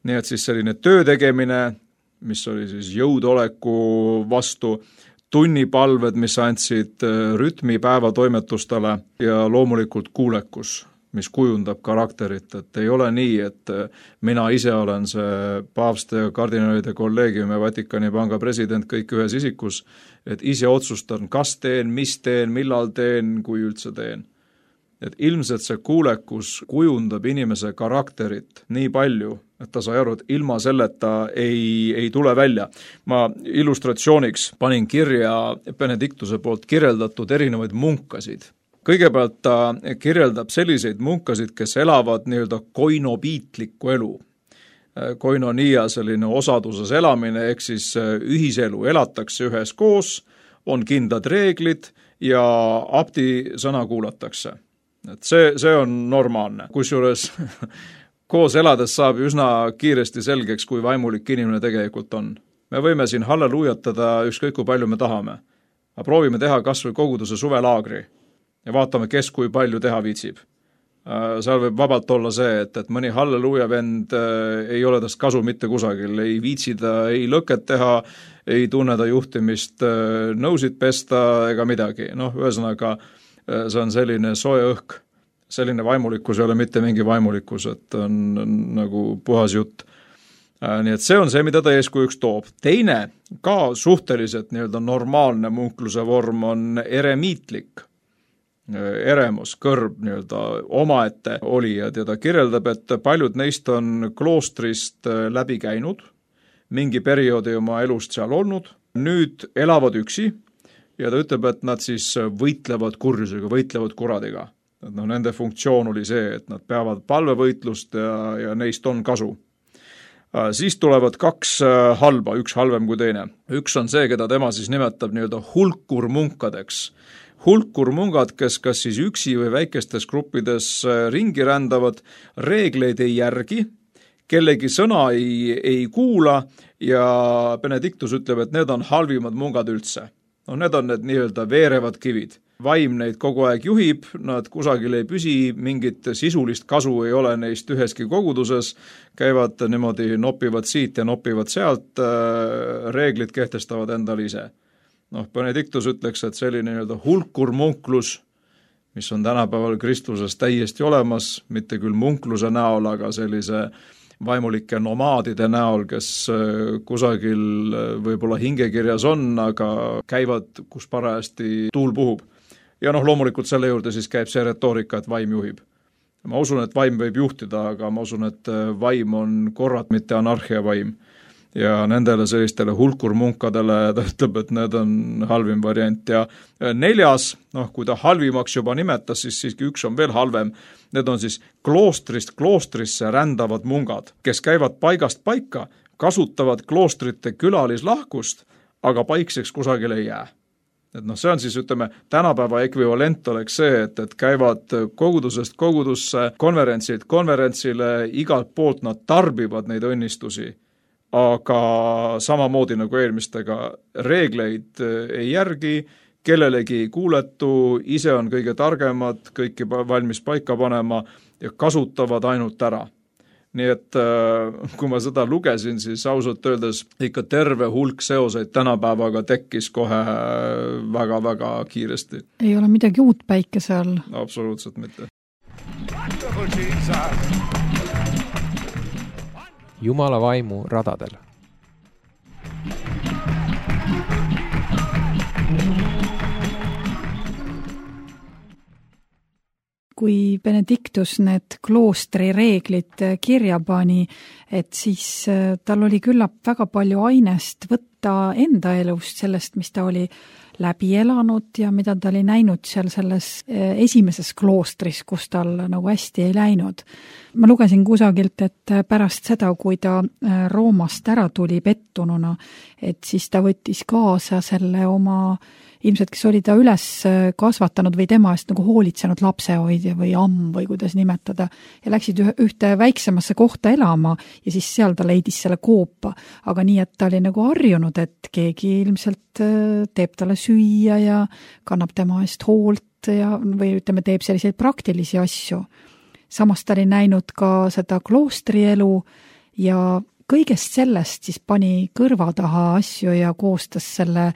Nii et siis selline töö tegemine, mis oli siis jõudoleku vastu, tunnipalved, mis andsid rütmi päevatoimetustele ja loomulikult kuulekus, mis kujundab karakterit, et ei ole nii, et mina ise olen see paavste ja kardinaalide kolleegium ja Vatikani panga president kõik ühes isikus, et ise otsustan, kas teen, mis teen, millal teen, kui üldse teen. Et ilmselt see kuulekus kujundab inimese karakterit nii palju, et ta sai aru, et ilma selleta ei, ei tule välja. Ma illustratsiooniks panin kirja Benedictuse poolt kirjeldatud erinevaid munkasid. Kõigepealt ta kirjeldab selliseid munkasid, kes elavad nii-öelda koinopiitlikku elu. Koinonia selline osaduses elamine, ehk siis ühiselu elatakse ühes koos, on kindlad reeglid ja abdi sõna kuulatakse. Et see, see on normaalne, kusjuures koos elades saab üsna kiiresti selgeks, kui vaimulik inimene tegelikult on. Me võime siin halleluujatada ükskõik kui palju me tahame, aga proovime teha kas või koguduse suvelaagri ja vaatame, kes kui palju teha viitsib. Seal võib vabalt olla see, et, et mõni halleluuja vend ei ole tast kasu mitte kusagil, ei viitsida, ei lõket teha, ei tunneda juhtimist, nõusid pesta ega midagi. Noh, ühesõnaga, see on selline soe õhk, selline vaimulikkus ei ole mitte mingi vaimulikkus, et on, on nagu puhas jutt. Nii et see on see, mida ta eeskujuks toob. Teine, ka suhteliselt nii-öelda normaalne munkluse vorm on eremiitlik. Eremus, kõrb nii-öelda omaette olijad ja ta kirjeldab, et paljud neist on kloostrist läbi käinud, mingi perioodi oma elust seal olnud, nüüd elavad üksi, ja ta ütleb, et nad siis võitlevad kurjusega, võitlevad kuradiga. Et no, nende funktsioon oli see, et nad peavad palvevõitlust ja, ja neist on kasu. Siis tulevad kaks halba, üks halvem kui teine. Üks on see, keda tema siis nimetab nii-öelda hulkurmunkadeks. Hulkurmungad, kes kas siis üksi või väikestes gruppides ringi rändavad, reegleid ei järgi, kellegi sõna ei, ei kuula ja Benedictus ütleb, et need on halvimad mungad üldse. No, need on need nii-öelda veerevad kivid. Vaim neid kogu aeg juhib, nad kusagil ei püsi, mingit sisulist kasu ei ole neist üheski koguduses, käivad niimoodi, nopivad siit ja nopivad sealt, reeglid kehtestavad endale ise. Noh, Benedictus ütleks, et selline nii-öelda hulkurmunklus, mis on tänapäeval kristluses täiesti olemas, mitte küll munkluse näol, aga sellise vaimulike nomaadide näol, kes kusagil võib-olla hingekirjas on, aga käivad, kus parajasti tuul puhub. Ja noh, loomulikult selle juurde siis käib see retoorika, et vaim juhib. Ma usun, et vaim võib juhtida, aga ma usun, et vaim on korrat, mitte anarhia vaim. ja nendele sellistele hulkurmunkadele ta ütleb, et need on halvim variant ja neljas, noh, kui ta halvimaks juba nimetas, siis siiski üks on veel halvem, need on siis kloostrist kloostrisse rändavad mungad, kes käivad paigast paika, kasutavad kloostrite külalislahkust, aga paikseks kusagil ei jää. Et noh, see on siis, ütleme, tänapäeva ekvivalent oleks see, et, et käivad kogudusest kogudusse, konverentsilt konverentsile, igalt poolt nad tarbivad neid õnnistusi, aga samamoodi nagu eelmistega reegleid ei järgi, kellelegi ei kuuletu, ise on kõige targemad, kõiki valmis paika panema ja kasutavad ainult ära. Nii et kui ma seda lugesin, siis ausalt öeldes ikka terve hulk seoseid tänapäevaga tekkis kohe väga-väga kiiresti. Ei ole midagi uut päikese all. Absoluutselt mitte. Jumala vaimu radadel. Kui Benedictus need kloostri reeglid kirja pani, et siis tal oli küllap väga palju ainest võtta enda elust sellest, mis ta oli läbi elanud ja mida ta oli näinud seal selles esimeses kloostris, kus tal nagu hästi ei läinud. Ma lugesin kusagilt, et pärast seda, kui ta Roomast ära tuli pettununa, et siis ta võttis kaasa selle oma ilmselt, kes oli ta üles kasvatanud või tema eest nagu hoolitsenud lapsehoidja või amm või kuidas nimetada ja läksid ühte väiksemasse kohta elama ja siis seal ta leidis selle koopa, aga nii, et ta oli nagu harjunud, et keegi ilmselt teeb talle süüa ja kannab tema eest hoolt ja, või ütleme, teeb selliseid praktilisi asju. Samas ta oli näinud ka seda kloostrielu ja kõigest sellest siis pani kõrva taha asju ja koostas selle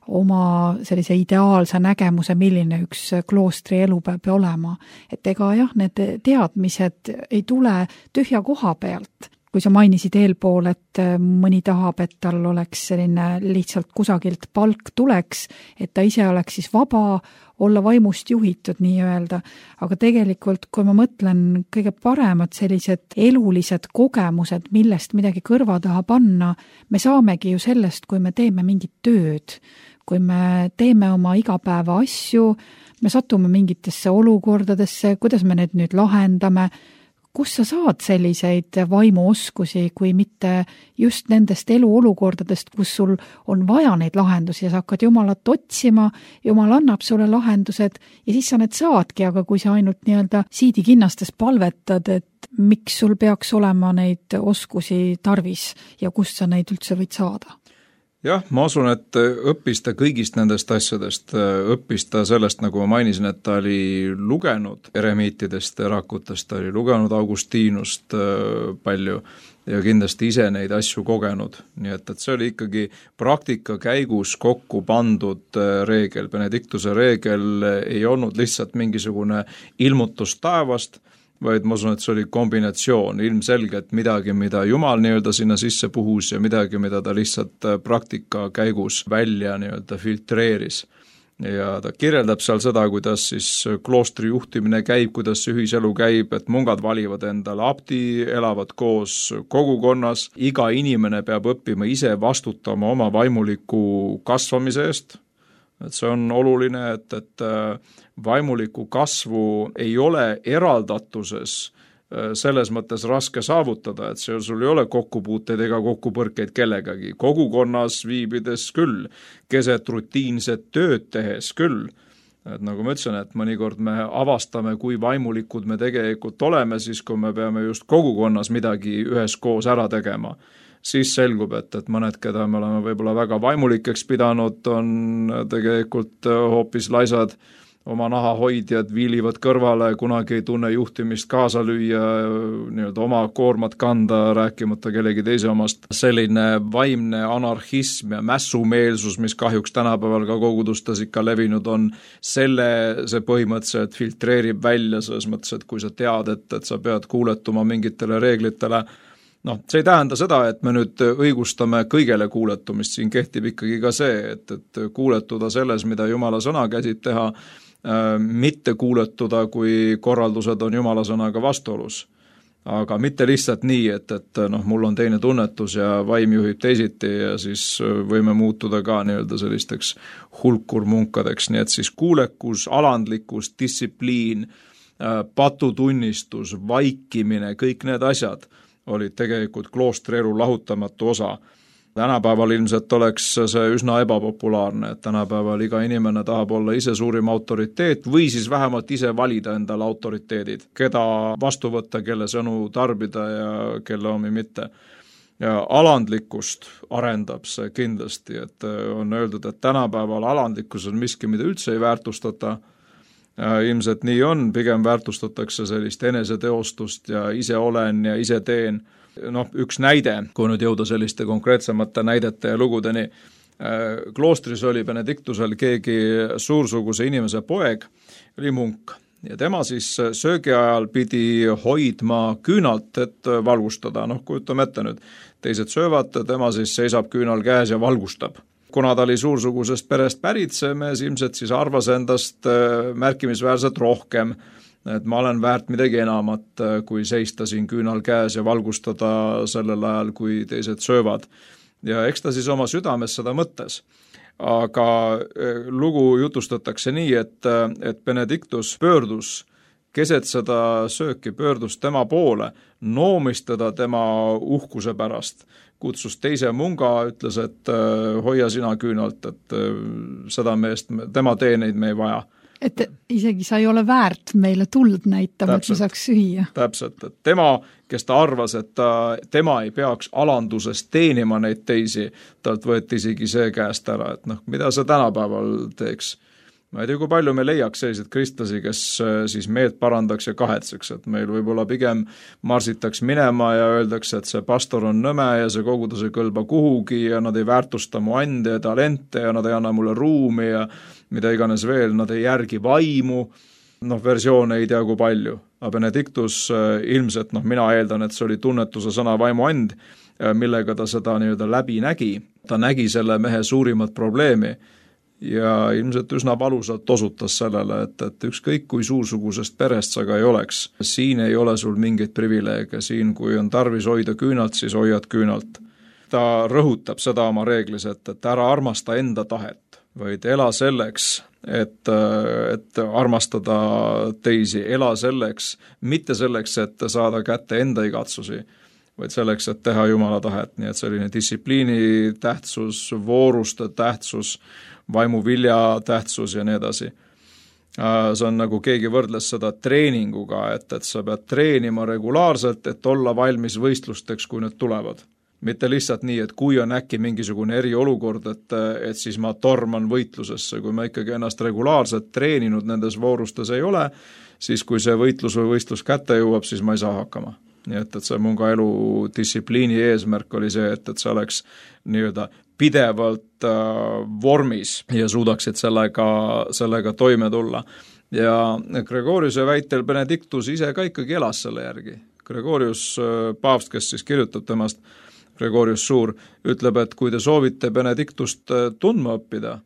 oma sellise ideaalse nägemuse, milline üks kloostri elu peab olema. Et ega jah, need teadmised ei tule tühja koha pealt. Kui sa mainisid eelpool, et mõni tahab, et tal oleks selline lihtsalt kusagilt palk tuleks, et ta ise oleks siis vaba, olla vaimust juhitud nii-öelda. Aga tegelikult, kui ma mõtlen kõige paremad sellised elulised kogemused, millest midagi kõrva taha panna, me saamegi ju sellest, kui me teeme mingit tööd, kui me teeme oma igapäeva asju, me satume mingitesse olukordadesse, kuidas me need nüüd lahendame, kus sa saad selliseid vaimuoskusi, kui mitte just nendest eluolukordadest, kus sul on vaja neid lahendusi ja sa hakkad Jumalat otsima, Jumal annab sulle lahendused ja siis sa need saadki, aga kui sa ainult nii-öelda siidikinnastes palvetad, et miks sul peaks olema neid oskusi tarvis ja kust sa neid üldse võid saada? Jah, ma usun, et õppis ta kõigist nendest asjadest, õppis ta sellest, nagu ma mainisin, et ta oli lugenud eremiitidest, rakutest, ta oli lugenud Augustinust palju ja kindlasti ise neid asju kogenud. Nii et, et see oli ikkagi praktika käigus kokku pandud reegel. Benedictuse reegel ei olnud lihtsalt mingisugune ilmutus taevast, vaid ma usun, et see oli kombinatsioon, ilmselgelt midagi, mida Jumal nii-öelda sinna sisse puhus ja midagi, mida ta lihtsalt praktika käigus välja nii-öelda filtreeris. Ja ta kirjeldab seal seda, kuidas siis kloostri juhtimine käib, kuidas see ühiselu käib, et mungad valivad endale abdi, elavad koos kogukonnas, iga inimene peab õppima ise vastutama oma vaimuliku kasvamise eest. Et see on oluline, et, et vaimuliku kasvu ei ole eraldatuses selles mõttes raske saavutada, et see, sul ei ole kokkupuuteid ega kokkupõrkeid kellegagi. Kogukonnas viibides küll, keset rutiinset tööd tehes küll. Et nagu ma ütlesin, et mõnikord me avastame, kui vaimulikud me tegelikult oleme, siis kui me peame just kogukonnas midagi üheskoos ära tegema. Siis selgub, et, et mõned, keda me oleme võib-olla väga vaimulikeks pidanud, on tegelikult hoopis laisad, oma nahahoidjad viilivad kõrvale, kunagi ei tunne juhtimist kaasa lüüa, nii-öelda oma koormat kanda, rääkimata kellegi teise omast. Selline vaimne anarhism ja mässumeelsus, mis kahjuks tänapäeval ka kogudustes ikka levinud on, selle see põhimõtteliselt filtreerib välja selles mõttes, et kui sa tead, et, et sa pead kuuletuma mingitele reeglitele, noh, see ei tähenda seda, et me nüüd õigustame kõigele kuuletumist, siin kehtib ikkagi ka see, et, et kuuletuda selles, mida Jumala sõna käsib teha, äh, mitte kuuletuda, kui korraldused on Jumala sõnaga vastuolus. aga mitte lihtsalt nii, et, et noh, mul on teine tunnetus ja vaim juhib teisiti ja siis võime muutuda ka nii-öelda sellisteks hulkurmunkadeks, nii et siis kuulekus, alandlikkus, distsipliin, patutunnistus, vaikimine, kõik need asjad olid tegelikult kloostri elu lahutamatu osa. Tänapäeval ilmselt oleks see üsna ebapopulaarne, et tänapäeval iga inimene tahab olla ise suurim autoriteet või siis vähemalt ise valida endale autoriteedid, keda vastu võtta, kelle sõnu tarbida ja kelle omi mitte. Ja alandlikkust arendab see kindlasti, et on öeldud, et tänapäeval alandlikkus on miski, mida üldse ei väärtustata. Ilmselt nii on, pigem väärtustatakse sellist eneseteostust ja ise olen ja ise teen. Noh, üks näide, kui nüüd jõuda selliste konkreetsemate näidete ja lugudeni. Kloostris oli Benediktusel keegi suursuguse inimese poeg, oli munk, ja tema siis söögi ajal pidi hoidma küünalt, et valgustada. Noh, kujutame ette nüüd, teised söövad, tema siis seisab küünal käes ja valgustab. Kuna ta oli suursugusest perest pärit, see mees ilmselt siis arvas endast märkimisväärselt rohkem, et ma olen väärt midagi enamat, kui seista siin küünal käes ja valgustada sellel ajal, kui teised söövad. Ja eks ta siis oma südames seda mõttes. Aga lugu jutustatakse nii, et, et Benediktus pöördus keset seda sööki, pöördus tema poole, noomistada tema uhkuse pärast. Kutsus teise munga, ütles, et hoia sina küünalt, et seda meest, tema teeneid me ei vaja. Et isegi sa ei ole väärt meile tuld näitama, et me saaks süüa. Täpselt, et tema, kes ta arvas, et ta, tema ei peaks alandusest teenima neid teisi, talt võeti isegi see käest ära, et noh, mida sa tänapäeval teeks. Ma ei tea, kui palju me leiaks sellised kristlasi, kes siis meelt parandaks ja kahetseks, et meil võib-olla pigem marsitaks minema ja öeldakse, et see pastor on nõme ja see kogudus ei kõlba kuhugi ja nad ei väärtusta mu ande ja talente ja nad ei anna mulle ruumi ja mida iganes veel, nad ei järgi vaimu, noh, versioone ei tea kui palju. Aga Benediktus ilmselt, noh, mina eeldan, et see oli tunnetuse sõna vaimu and, millega ta seda nii-öelda läbi nägi. Ta nägi selle mehe suurimat probleemi ja ilmselt üsna valusalt osutas sellele, et, et ükskõik kui suursugusest perest sa ka ei oleks, siin ei ole sul mingeid privileege, siin kui on tarvis hoida küünalt, siis hoiad küünalt. Ta rõhutab seda oma reeglis, et, et ära armasta enda tahet, vaid ela selleks, et, et armastada teisi, ela selleks, mitte selleks, et saada kätte enda igatsusi, vaid selleks, et teha Jumala tahet, nii et selline distsipliini tähtsus, vooruste tähtsus, vaimuvilja tähtsus ja nii edasi. See on nagu keegi võrdles seda treeninguga, et, et sa pead treenima regulaarselt, et olla valmis võistlusteks, kui need tulevad. Mitte lihtsalt nii, et kui on äkki mingisugune eriolukord, et, et siis ma torman võitlusesse, kui ma ikkagi ennast regulaarselt treeninud nendes voorustes ei ole, siis kui see võitlus või võistlus kätte jõuab, siis ma ei saa hakkama. Nii et, et see mun ka elu distsipliini eesmärk oli see, et, et see oleks nii-öelda pidevalt äh, vormis ja suudaksid sellega, sellega toime tulla. Ja Gregoriuse väitel Benediktus ise ka ikkagi elas selle järgi. Gregorius äh, paavst, kes siis kirjutab temast, Gregorius Suur, ütleb, et kui te soovite Benediktust äh, tundma õppida,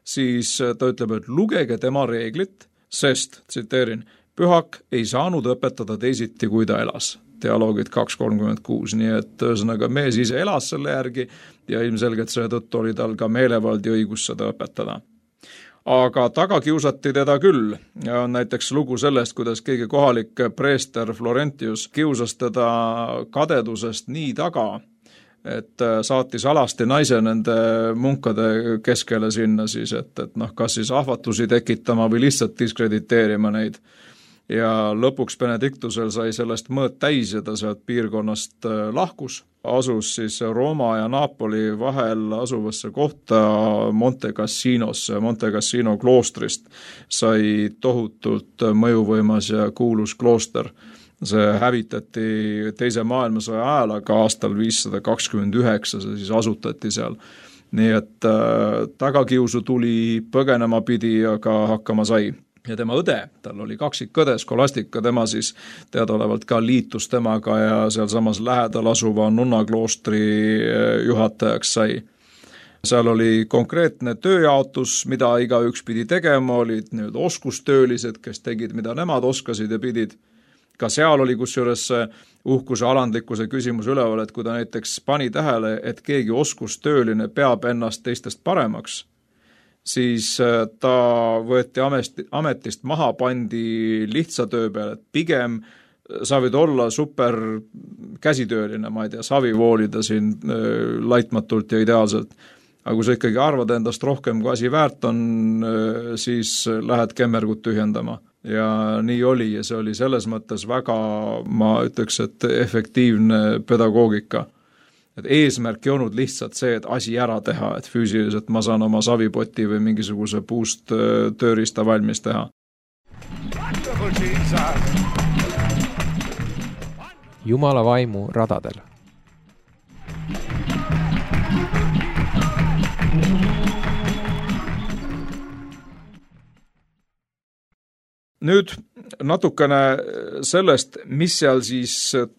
siis äh, ta ütleb, et lugege tema reeglit, sest, tsiteerin, pühak ei saanud õpetada teisiti, kui ta elas. Dialoogid kaks kolmkümmend kuus, nii et ühesõnaga mees ise elas selle järgi ja ilmselgelt seetõttu oli tal ka meelevald ja õigus seda õpetada. Aga taga kiusati teda küll. On näiteks lugu sellest, kuidas keegi kohalik preester Florentius kiusas teda kadedusest nii taga, et saatis alasti naise nende munkade keskele sinna siis, et, et noh, kas siis ahvatlusi tekitama või lihtsalt diskrediteerima neid. Ja lõpuks Benediktusel sai sellest mõõt täis ja ta sealt piirkonnast lahkus. Asus siis Rooma ja Napoli vahel asuvasse kohta Monte Cassinosse. Monte Cassino kloostrist sai tohutult mõjuvõimas ja kuulus klooster. See hävitati teise maailmasõja ajal, aga aastal viissada kakskümmend üheksa see siis asutati seal. Nii et äh, tagakiusu tuli, põgenema pidi, aga hakkama sai. Ja tema õde, tal oli kaksik õde, Skolastika, tema siis teadaolevalt ka liitus temaga ja seal samas lähedal asuva nunnakloostri juhatajaks sai. Seal oli konkreetne tööjaotus, mida igaüks pidi tegema, olid nüüd oskustöölised, kes tegid, mida nemad oskasid ja pidid. ka seal oli kusjuures uhkuse alandlikkuse küsimus üleval, et kui ta näiteks pani tähele, et keegi oskustööline peab ennast teistest paremaks, siis ta võeti ametist maha, pandi lihtsa töö peale, et pigem sa võid olla super käsitööline, ma ei tea, savi voolida siin laitmatult ja ideaalselt. Aga kui sa ikkagi arvad endast rohkem, kui asi väärt on, siis lähed kemmergut tühjendama. Ja nii oli ja see oli selles mõttes väga, ma ütleks, et efektiivne pedagoogika. Et eesmärk ei olnud lihtsalt see, et asi ära teha, et füüsiliselt ma saan oma savipoti või mingisuguse puust tööriista valmis teha. Jumala vaimu radadel. Nüüd natukene sellest, mis seal siis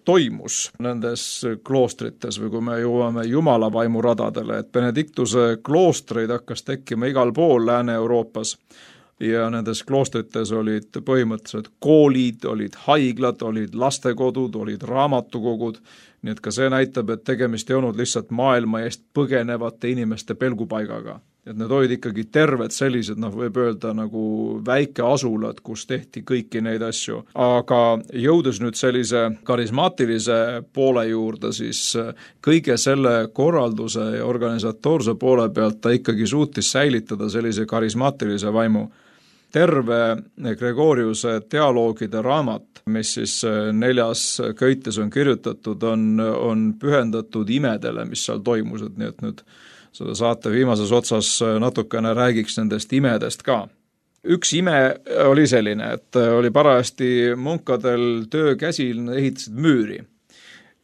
toimus nendes kloostrites või kui me jõuame Jumala vaimu radadele, et Benediktuse kloostreid hakkas tekkima igal pool Lääne-Euroopas ja nendes kloostrites olid põhimõtteliselt koolid, olid haiglad, olid lastekodud, olid raamatukogud, nii et ka see näitab, et tegemist ei olnud lihtsalt maailma eest põgenevate inimeste pelgupaigaga. Et need olid ikkagi terved sellised, noh võib öelda nagu väike asulad, kus tehti kõiki neid asju. Aga jõudes nüüd sellise karismaatilise poole juurde, siis kõige selle korralduse ja organisatoorse poole pealt ta ikkagi suutis säilitada sellise karismaatilise vaimu. Terve Gregoriuse dialoogide raamat, mis siis neljas köites on kirjutatud, on, on pühendatud imedele, mis seal toimused, nii et nüüd seda saate viimases otsas natukene räägiks nendest imedest ka. Üks ime oli selline, et oli parajasti munkadel töö käsil, ehitasid müüri.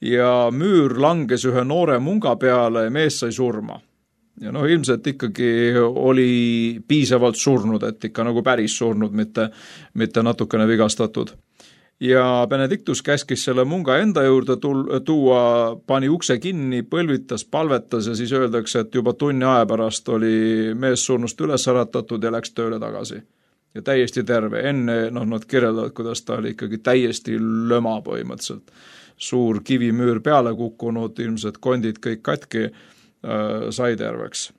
Ja müür langes ühe noore munga peale ja mees sai surma. Ja noh, ilmselt ikkagi oli piisavalt surnud, et ikka nagu päris surnud, mitte, mitte natukene vigastatud. Ja Benediktus käskis selle munga enda juurde tuua, pani ukse kinni, põlvitas, palvetas ja siis öeldakse, et juba tunni aja pärast oli mees surnust üles äratatud ja läks tööle tagasi. Ja täiesti terve. Enne noh, nad kirjeldavad, kuidas ta oli ikkagi täiesti löma põhimõtteliselt. Suur kivimüür peale kukkunud, ilmselt kondid kõik katki, äh, sai terveks.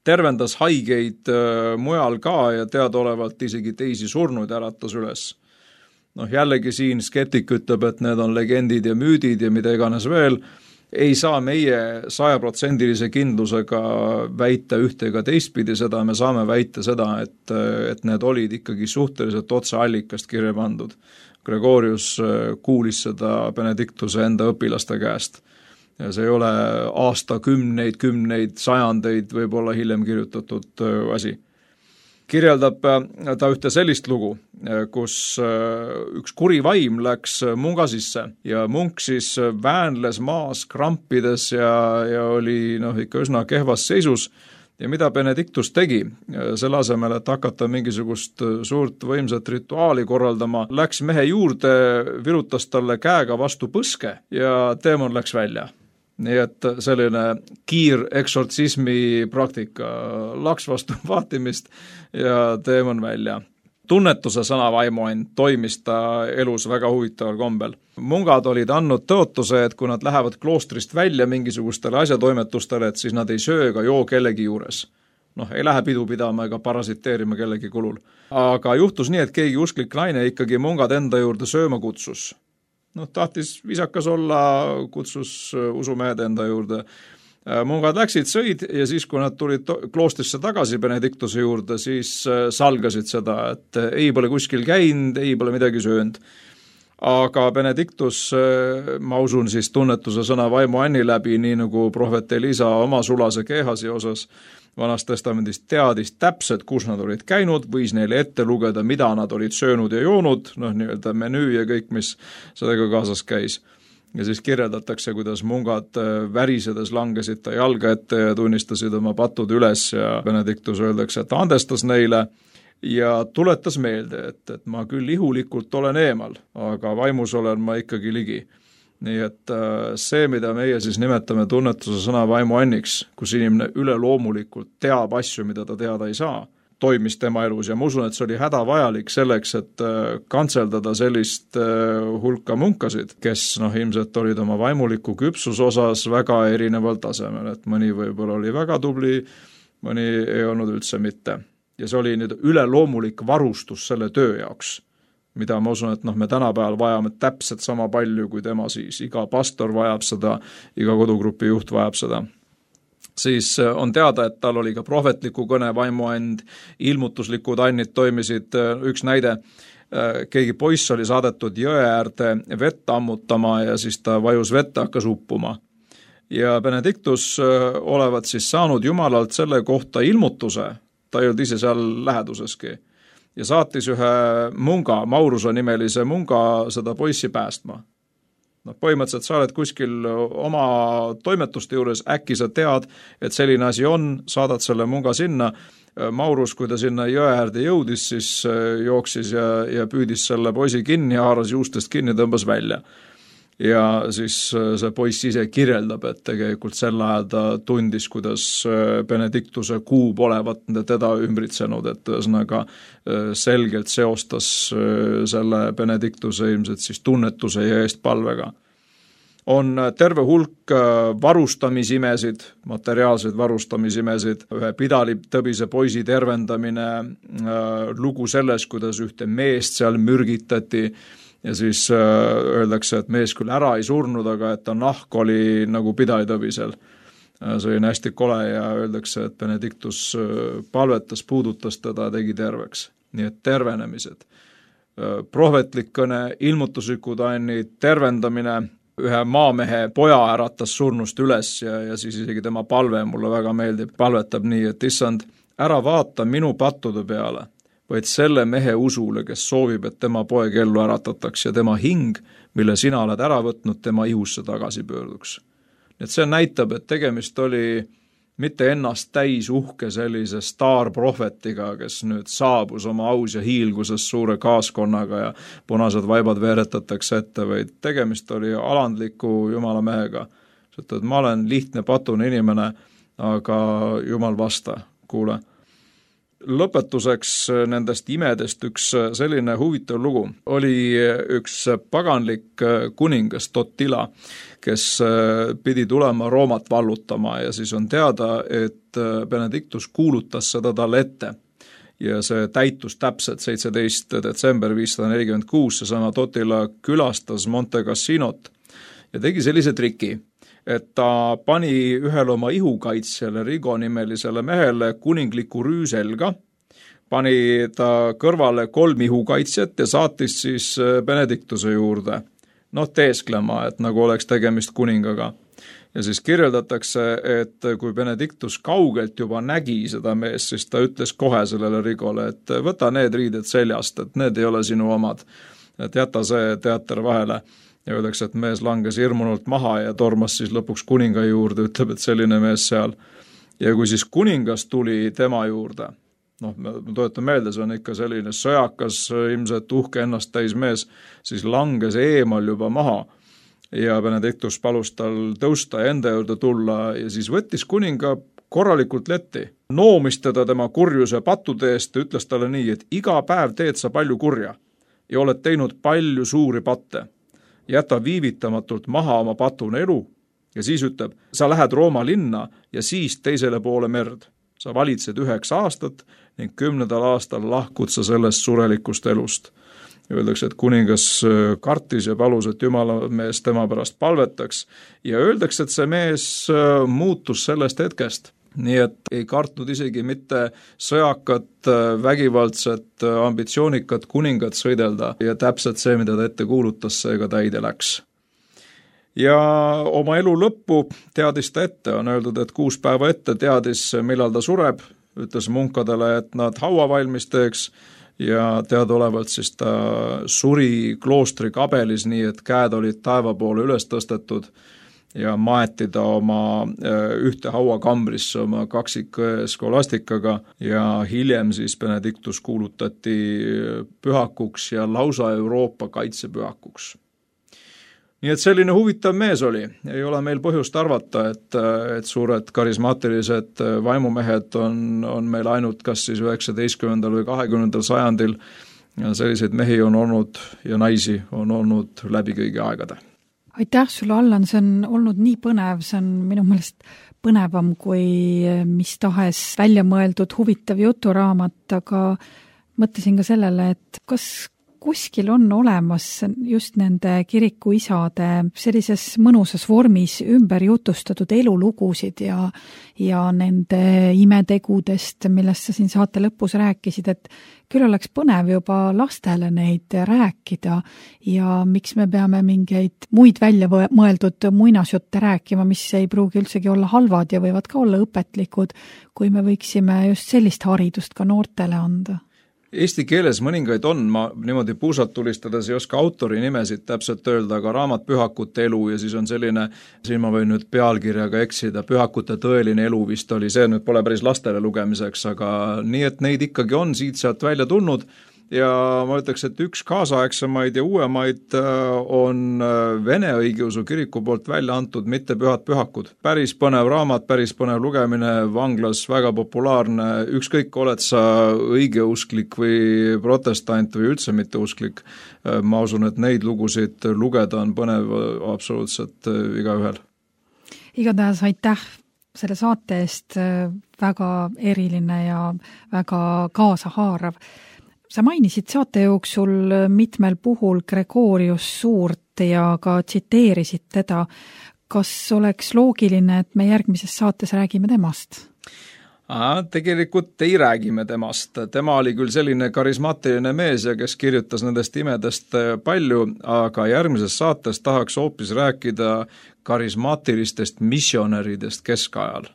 Tervendas haigeid äh, mujal ka ja teadaolevalt isegi teisi surnuid äratas üles. Noh, jällegi siin skeptik ütleb, et need on legendid ja müüdid ja mida iganes veel, ei saa meie sajaprotsendilise kindlusega väita ühte ega teistpidi seda, me saame väita seda, et, et need olid ikkagi suhteliselt otse allikast kirja pandud. Gregorius kuulis seda Benediktuse enda õpilaste käest. Ja see ei ole aasta kümneid, kümneid, sajandeid võib-olla hiljem kirjutatud asi. Kirjeldab ta ühte sellist lugu, kus üks kuri vaim läks munga sisse ja munk siis väänles maas krampides ja, ja oli noh, ikka üsna kehvas seisus. Ja mida Benediktus tegi, selle asemel, et hakata mingisugust suurt võimsat rituaali korraldama, läks mehe juurde, virutas talle käega vastu põske ja teemon läks välja. Nii et selline kiir eksortsismi praktika, laks vastu vaatimist ja teemon välja. Tunnetuse sõnavaimuand toimis ta elus väga huvitaval kombel. Mungad olid andnud tõotuse, et kui nad lähevad kloostrist välja mingisugustele asjatoimetustele, et siis nad ei söö ega joo kellegi juures. Noh, ei lähe pidu pidama ega parasiteerima kellegi kulul. Aga juhtus nii, et keegi usklik naine ikkagi mungad enda juurde sööma kutsus. Noh, tahtis visakas olla, kutsus usumehed enda juurde. Mungad läksid, sõid ja siis, kui nad tulid kloostrisse tagasi Benediktuse juurde, siis salgasid seda, et ei pole kuskil käinud, ei pole midagi söönud. Aga Benediktus, ma usun siis tunnetuse sõna vaimu Anni läbi, nii nagu prohvet Elisa oma sulase keehasi osas Vanast testamendist teadis täpselt, kus nad olid käinud, võis neile ette lugeda, mida nad olid söönud ja joonud, noh nii-öelda menüü ja kõik, mis sellega kaasas käis. Ja siis kirjeldatakse, kuidas mungad värisedes langesid ta jalga ette ja tunnistasid oma patud üles ja Benediktus öeldakse, et andestas neile ja tuletas meelde, et, et ma küll ihulikult olen eemal, aga vaimus olen ma ikkagi ligi. Nii et see, mida meie siis nimetame tunnetuse sõna vaimu anniks, kus inimene üleloomulikult teab asju, mida ta teada ei saa, toimis tema elus ja ma usun, et see oli hädavajalik selleks, et kantseldada sellist hulka munkasid, kes noh, ilmselt olid oma vaimuliku küpsus osas väga erineval tasemel, et mõni võib-olla oli väga tubli, mõni ei olnud üldse mitte. Ja see oli nüüd üleloomulik varustus selle töö jaoks, mida ma usun, et noh, me tänapäeval vajame täpselt sama palju kui tema siis. Iga pastor vajab seda, iga kodugrupi juht vajab seda. Siis on teada, et tal oli ka prohvetliku kõne vaimuand, ilmutuslikud annid toimisid. Üks näide, keegi poiss oli saadetud jõe äärde vett ammutama ja siis ta vajus vette, hakkas uppuma. Ja Benedictus olevat siis saanud Jumalalt selle kohta ilmutuse, ta ei olnud ise seal läheduseski. Ja saatis ühe munga, Mauruse nimelise munga seda poissi päästma. No, põhimõtteliselt sa oled kuskil oma toimetuste juures, äkki sa tead, et selline asi on, saadad selle munga sinna. Maurus, kui ta sinna jõe äärde jõudis, siis jooksis ja, ja püüdis selle poisi kinni, haaras juustest kinni, tõmbas välja. Ja siis see poiss ise kirjeldab, et tegelikult sel ajal ta tundis, kuidas Benedictuse kuub olevat teda ümbritsenud, et ühesõnaga selgelt seostas selle Benedictuse ilmselt siis tunnetuse ja eest palvega. On terve hulk varustamisimesid, materiaalseid varustamisimesid, ühe pidalitõbise poisi tervendamine, lugu selles, kuidas ühte meest seal mürgitati, ja siis öeldakse, et mees küll ära ei surnud, aga et ta nahk oli nagu pidalitõbisel. See oli hästi kole ja öeldakse, et Benedictus palvetas, puudutas teda, tegi terveks. Nii et tervenemised. Prohvetlik kõne, ilmutuslikud annid, tervendamine, ühe maamehe poja äratas surnust üles ja, ja siis isegi tema palve mulle väga meeldib. Palvetab nii, et issand, ära vaata minu pattude peale, vaid selle mehe usule, kes soovib, et tema poeg ellu äratataks ja tema hing, mille sina oled ära võtnud, tema ihusse tagasi pöörduks. Et see näitab, et tegemist oli mitte ennast täis uhke sellise staarprohvetiga, kes nüüd saabus oma aus ja hiilguses suure kaaskonnaga ja punased vaibad veeretatakse ette, vaid tegemist oli alandliku Jumala mehega. Et ma olen lihtne patune inimene, aga Jumal vasta, kuule. Lõpetuseks nendest imedest üks selline huvitav lugu. Oli üks paganlik kuningas Totila, kes pidi tulema Roomat vallutama ja siis on teada, et Benedictus kuulutas seda talle ette. Ja see täitus täpselt seitseteist detsember viissada nelikümmend kuus, seesama Totila külastas Monte Cassinot ja tegi sellise triki, et ta pani ühele oma ihukaitsjale Rigo nimelisele mehele kuningliku rüü selga, pani ta kõrvale kolm ihukaitsjat ja saatis siis Benedictuse juurde, noh teesklema, et nagu oleks tegemist kuningaga. Ja siis kirjeldatakse, et kui Benedictus kaugelt juba nägi seda meest, siis ta ütles kohe sellele Rigole, et võta need riided seljast, et need ei ole sinu omad, et jäta see teater vahele. Ja öeldakse, et mees langes hirmunult maha ja tormas siis lõpuks kuninga juurde, ütleb, et selline mees seal. Ja kui siis kuningas tuli tema juurde, noh, ma toetan meelde, see on ikka selline sõjakas, ilmselt uhke ennast täis mees, siis langes eemal juba maha ja Benedictus palus tal tõusta ja enda juurde tulla ja siis võttis kuninga korralikult letti. Noomis teda tema kurjuse pattude eest ja ütles talle nii, et iga päev teed sa palju kurja ja oled teinud palju suuri patte. Jäta viivitamatult maha oma patune elu ja siis ütleb, sa lähed Rooma linna ja siis teisele poole merd. Sa valitsed üheks aastat ning kümnendal aastal lahkud sa sellest surelikust elust. Öeldakse, et kuningas kartis ja palus, et Jumala mees tema pärast palvetaks ja öeldakse, et see mees muutus sellest hetkest. Nii et ei kartnud isegi mitte sõjakat, vägivaldset, ambitsioonikat kuningat sõidelda ja täpselt see, mida ta ette kuulutas, seega täide läks. Ja oma elu lõppu teadis ta ette, on öeldud, et kuus päeva ette teadis, millal ta sureb, ütles munkadele, et nad haua valmis teeks ja teadaolevalt siis ta suri kloostri kabelis nii, et käed olid taeva poole üles tõstetud ja maeti ta oma ühte hauakambrisse oma kaksik skolastikaga ja hiljem siis Benedictus kuulutati pühakuks ja lausa Euroopa kaitsepühakuks. nii et selline huvitav mees oli, ei ole meil põhjust arvata, et, et suured karismaatilised vaimumehed on, on meil ainult kas siis üheksateistkümnendal või kahekümnendal sajandil ja selliseid mehi on olnud ja naisi on olnud läbi kõigi aegade. Aitäh sulle, Allan, see on olnud nii põnev, see on minu meelest põnevam kui mis tahes välja mõeldud huvitav juturaamat, aga mõtlesin ka sellele, et kas kuskil on olemas just nende kirikuisade sellises mõnusas vormis ümber jutustatud elulugusid ja, ja nende imetegudest, millest sa siin saate lõpus rääkisid, et küll oleks põnev juba lastele neid rääkida ja miks me peame mingeid muid välja mõeldud muinasjutte rääkima, mis ei pruugi üldsegi olla halvad ja võivad ka olla õpetlikud, kui me võiksime just sellist haridust ka noortele anda. Eesti keeles mõningaid on, ma niimoodi puusalt tulistades ei oska autori nimesid täpselt öelda, aga raamat Pühakute elu ja siis on selline, siin ma võin nüüd pealkirjaga eksida, Pühakute tõeline elu vist oli, see nüüd pole päris lastele lugemiseks, aga nii, et neid ikkagi on siit sealt välja tulnud ja ma ütleks, et üks kaasaegsemaid ja uuemaid on Vene õigeusu kiriku poolt välja antud Mitte pühad pühakud. Päris põnev raamat, päris põnev lugemine, vanglas väga populaarne, ükskõik oled sa õigeusklik või protestant või üldse mitteusklik, ma usun, et neid lugusid lugeda on põnev absoluutselt igaühel. Igatahes aitäh selle saate eest, väga eriline ja väga kaasahaarav. Sa mainisid saate jooksul mitmel puhul Gregorius Suurt ja ka tsiteerisid teda. Kas oleks loogiline, et me järgmises saates räägime temast? Aa, tegelikult ei räägime temast. Tema oli küll selline karismaatiline mees ja kes kirjutas nendest imedest palju, aga järgmises saates tahaks hoopis rääkida karismaatilistest missionäridest keskajal.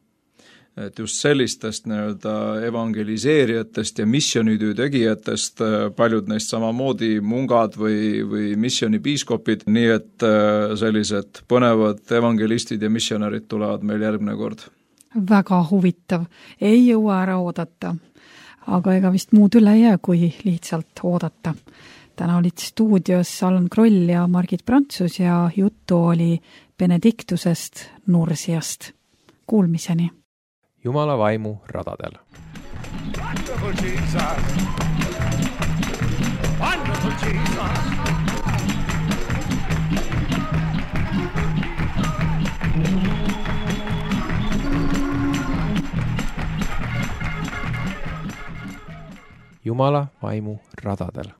Et just sellistest nii-öelda evangeliseerijatest ja missionitöö tegijatest, paljud neist samamoodi mungad või, või missionipiiskopid, nii et sellised põnevad evangelistid ja missionärid tulevad meil järgmine kord. Väga huvitav, ei jõua ära oodata, aga ega vist muud üle jää, kui lihtsalt oodata. Täna olid stuudios Allan Kroll ja Margit Prantsus ja juttu oli Benediktusest Nursiast. Kuulmiseni! Jumala vaimu radadel. Wonderful Jesus! Wonderful Jesus! Jumala vaimu radadel.